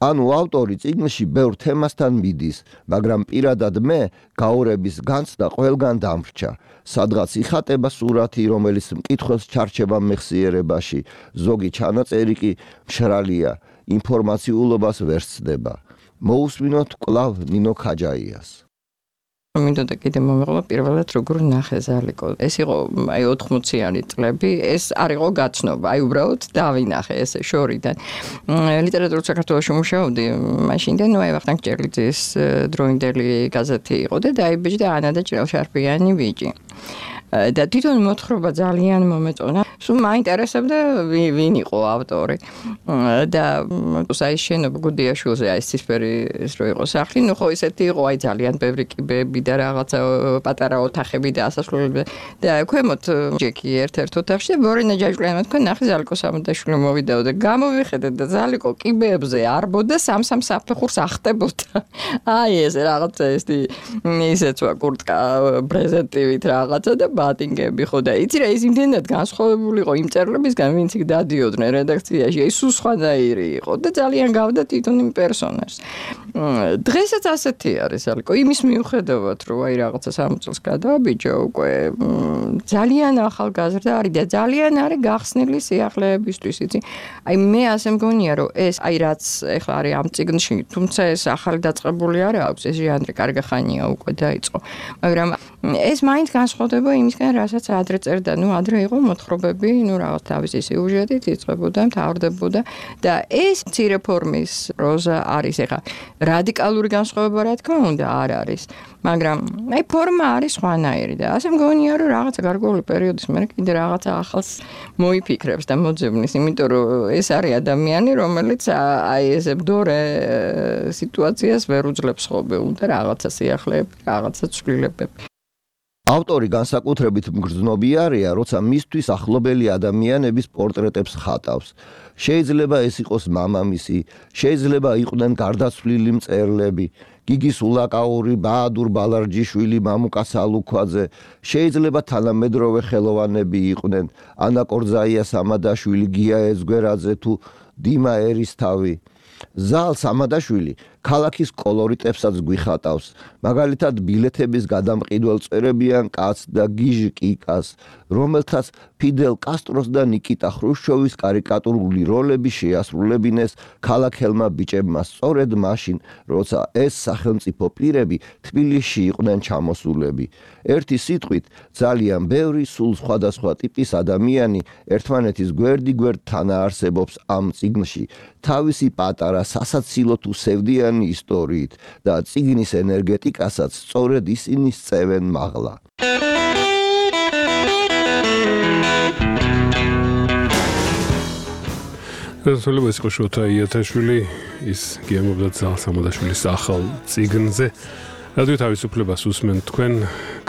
ანუ ავტორი წიგნში ბევრ თემასთან მიდის, მაგრამ პირადად მე გაურების განცდა ყველგან დამრჩა. სადღაც იხატება სურათი, რომელიც მკითხველს ჩარჩება მეხსიერებაში, ზოგი ჩანაწერი კი მშრალია, ინფორმაციულობას ვერ სცდება. მოусმინოთ კვლავ ნინო ქაჯაიას. მინდოდა კიდე მომეღლა პირველად როგორ ნახე ზალიკო. ეს იყო აი ოთხმოციანი წლები, ეს არ იყო გაცნობა, აი უბრალოდ დავინახე ესე შორიდან. ლიტერატურულ საქართველოში მუშაობდი, მაშინდან ნუ აი ვახტანგ ჭერლიძის დროინდელი გაზეთი იყო და დაიბეჭდა ანა და ჭრელშარფიანი ბიჭი. და თვითონ მოთხრობა ძალიან მომეწონა. სულ მაინტერესებდა ვინ იყო ავტორი. და აი შენობა გუდიაშვილზე აი ცისფერი ის რო იყო სახლი, ნუ ხო ისეთი იყო აი ძალიან ბევრი კიბეები და რაღაცა პატარა ოთახები და ასასვლელები. და ქვემოთ ჯეკი ერთ-ერთ ოთახში და ბორინა ჯაჭვლიანმა თქვა ნახე ზალიკო სამადაშვილი მოვიდაო და გამოვიხედე და ზალიკო კიბეებზე არბოდა სამ-სამ საფეხურს ახტებოდა. აი ეს რაღაცა ეს ისეც ვარ კურტკა პრეზენტივით რაღაცა და ბატინგები ხო და იცი რა ის იმდენად განსხვავებული იყო იმ წერლებისგან ვინც იქ დადიოდნენ რედაქციაში აი სულ სხვანაირი იყო და ძალიან გავდა თვითონ იმ პერსონაჟს. დღესაც ასეთი არის ალკო იმის მიუხედავად რომ აი რაღაცა სამი წელს გადავაბიჯო უკვე ძალიან ახალგაზრდა არის და ძალიან არის გახსნილი სიახლეებისთვის იცი აი მე ასე მგონია რომ ეს აი რაც ეხლა არის ამ წიგნში თუმცა ეს ახალი დაწყებული არ აქვს ეს ჟანრი კარგი ხანია უკვე დაიწყო მაგრამ ეს მაინც განსხვავდება იმისგან რასაც ადრე წერდა ნუ ადრე იყო მოთხრობები ნუ რაღაც თავისი სიუჟეტით იწყებოდა მთავრდებოდა და ეს მცირე ფორმის პროზა არის ეხლა რადიკალური განსხვავება რა თქმა უნდა არ არის მაგრამ აი ფორმა არის სხვანაირი და ასე მგონია რომ რაღაცა გარკვეული პერიოდის მერე კიდე რაღაცა ახალს მოიფიქრებს და მოძებნის იმიტომ რომ ეს არის ადამიანი რომელიც აი ესე მდორე სიტუაციას ვერ უძლებს ხოლმე უნდა რაღაცა სიახლეები რაღაცა ცვლილებები ავტორი განსაკუთრებით მგრძნობიარეა, როცა მისთვის ახლობელი ადამიანების პორტრეტებს ხატავს. შეიძლება ეს იყოს მამამისი, შეიძლება იყვნენ გარდაცვლილი მწერლები, გიგი სულაკაური, ბაადურ ბალარჯიშვილი, მამუკა სალუქვაძე, შეიძლება თანამედროვე ხელოვანები იყვნენ, ანა კორძაია სამადაშვილი, გია ეძგვერაძე თუ დიმა ერისთავი. ზალ სამადაშვილი ქალაქის კოლორიტებსაც გვიხატავს, მაგალითად ბილეთების გადამყიდველ წერებიან კაცს და გიჟ კიკას, რომელთაც ფიდელ კასტროს და ნიკიტა ხრუშჩოვის კარიკატურული როლები შეასრულებინეს ქალაქელმა ბიჭებმა სწორედ მაშინ, როცა ეს სახელმწიფო პირები თბილისში იყვნენ ჩამოსულები. ერთი სიტყვით, ძალიან ბევრი სულ სხვადასხვა ტიპის ადამიანი ერთმანეთის გვერდიგვერდ თანაარსებობს ამ წიგნში, თავისი პატარა სასაცილო თუ სევდიანი ისტორიით და წიგნის ენერგეტიკასაც სწორედ ისინი სწევენ მაღლა. გასულება ის იყო შოთა იათაშვილი ის გიამობდა ზალ სამადაშვილის ახალ წიგნზე რადიო თავისუფლებას უსმენთ თქვენ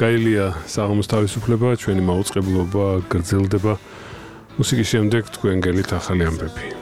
გაილია საღამოს თავისუფლება ჩვენი მაუწყებლობა გრძელდება მუსიკის შემდეგ თქვენ გელით ახალი ამბები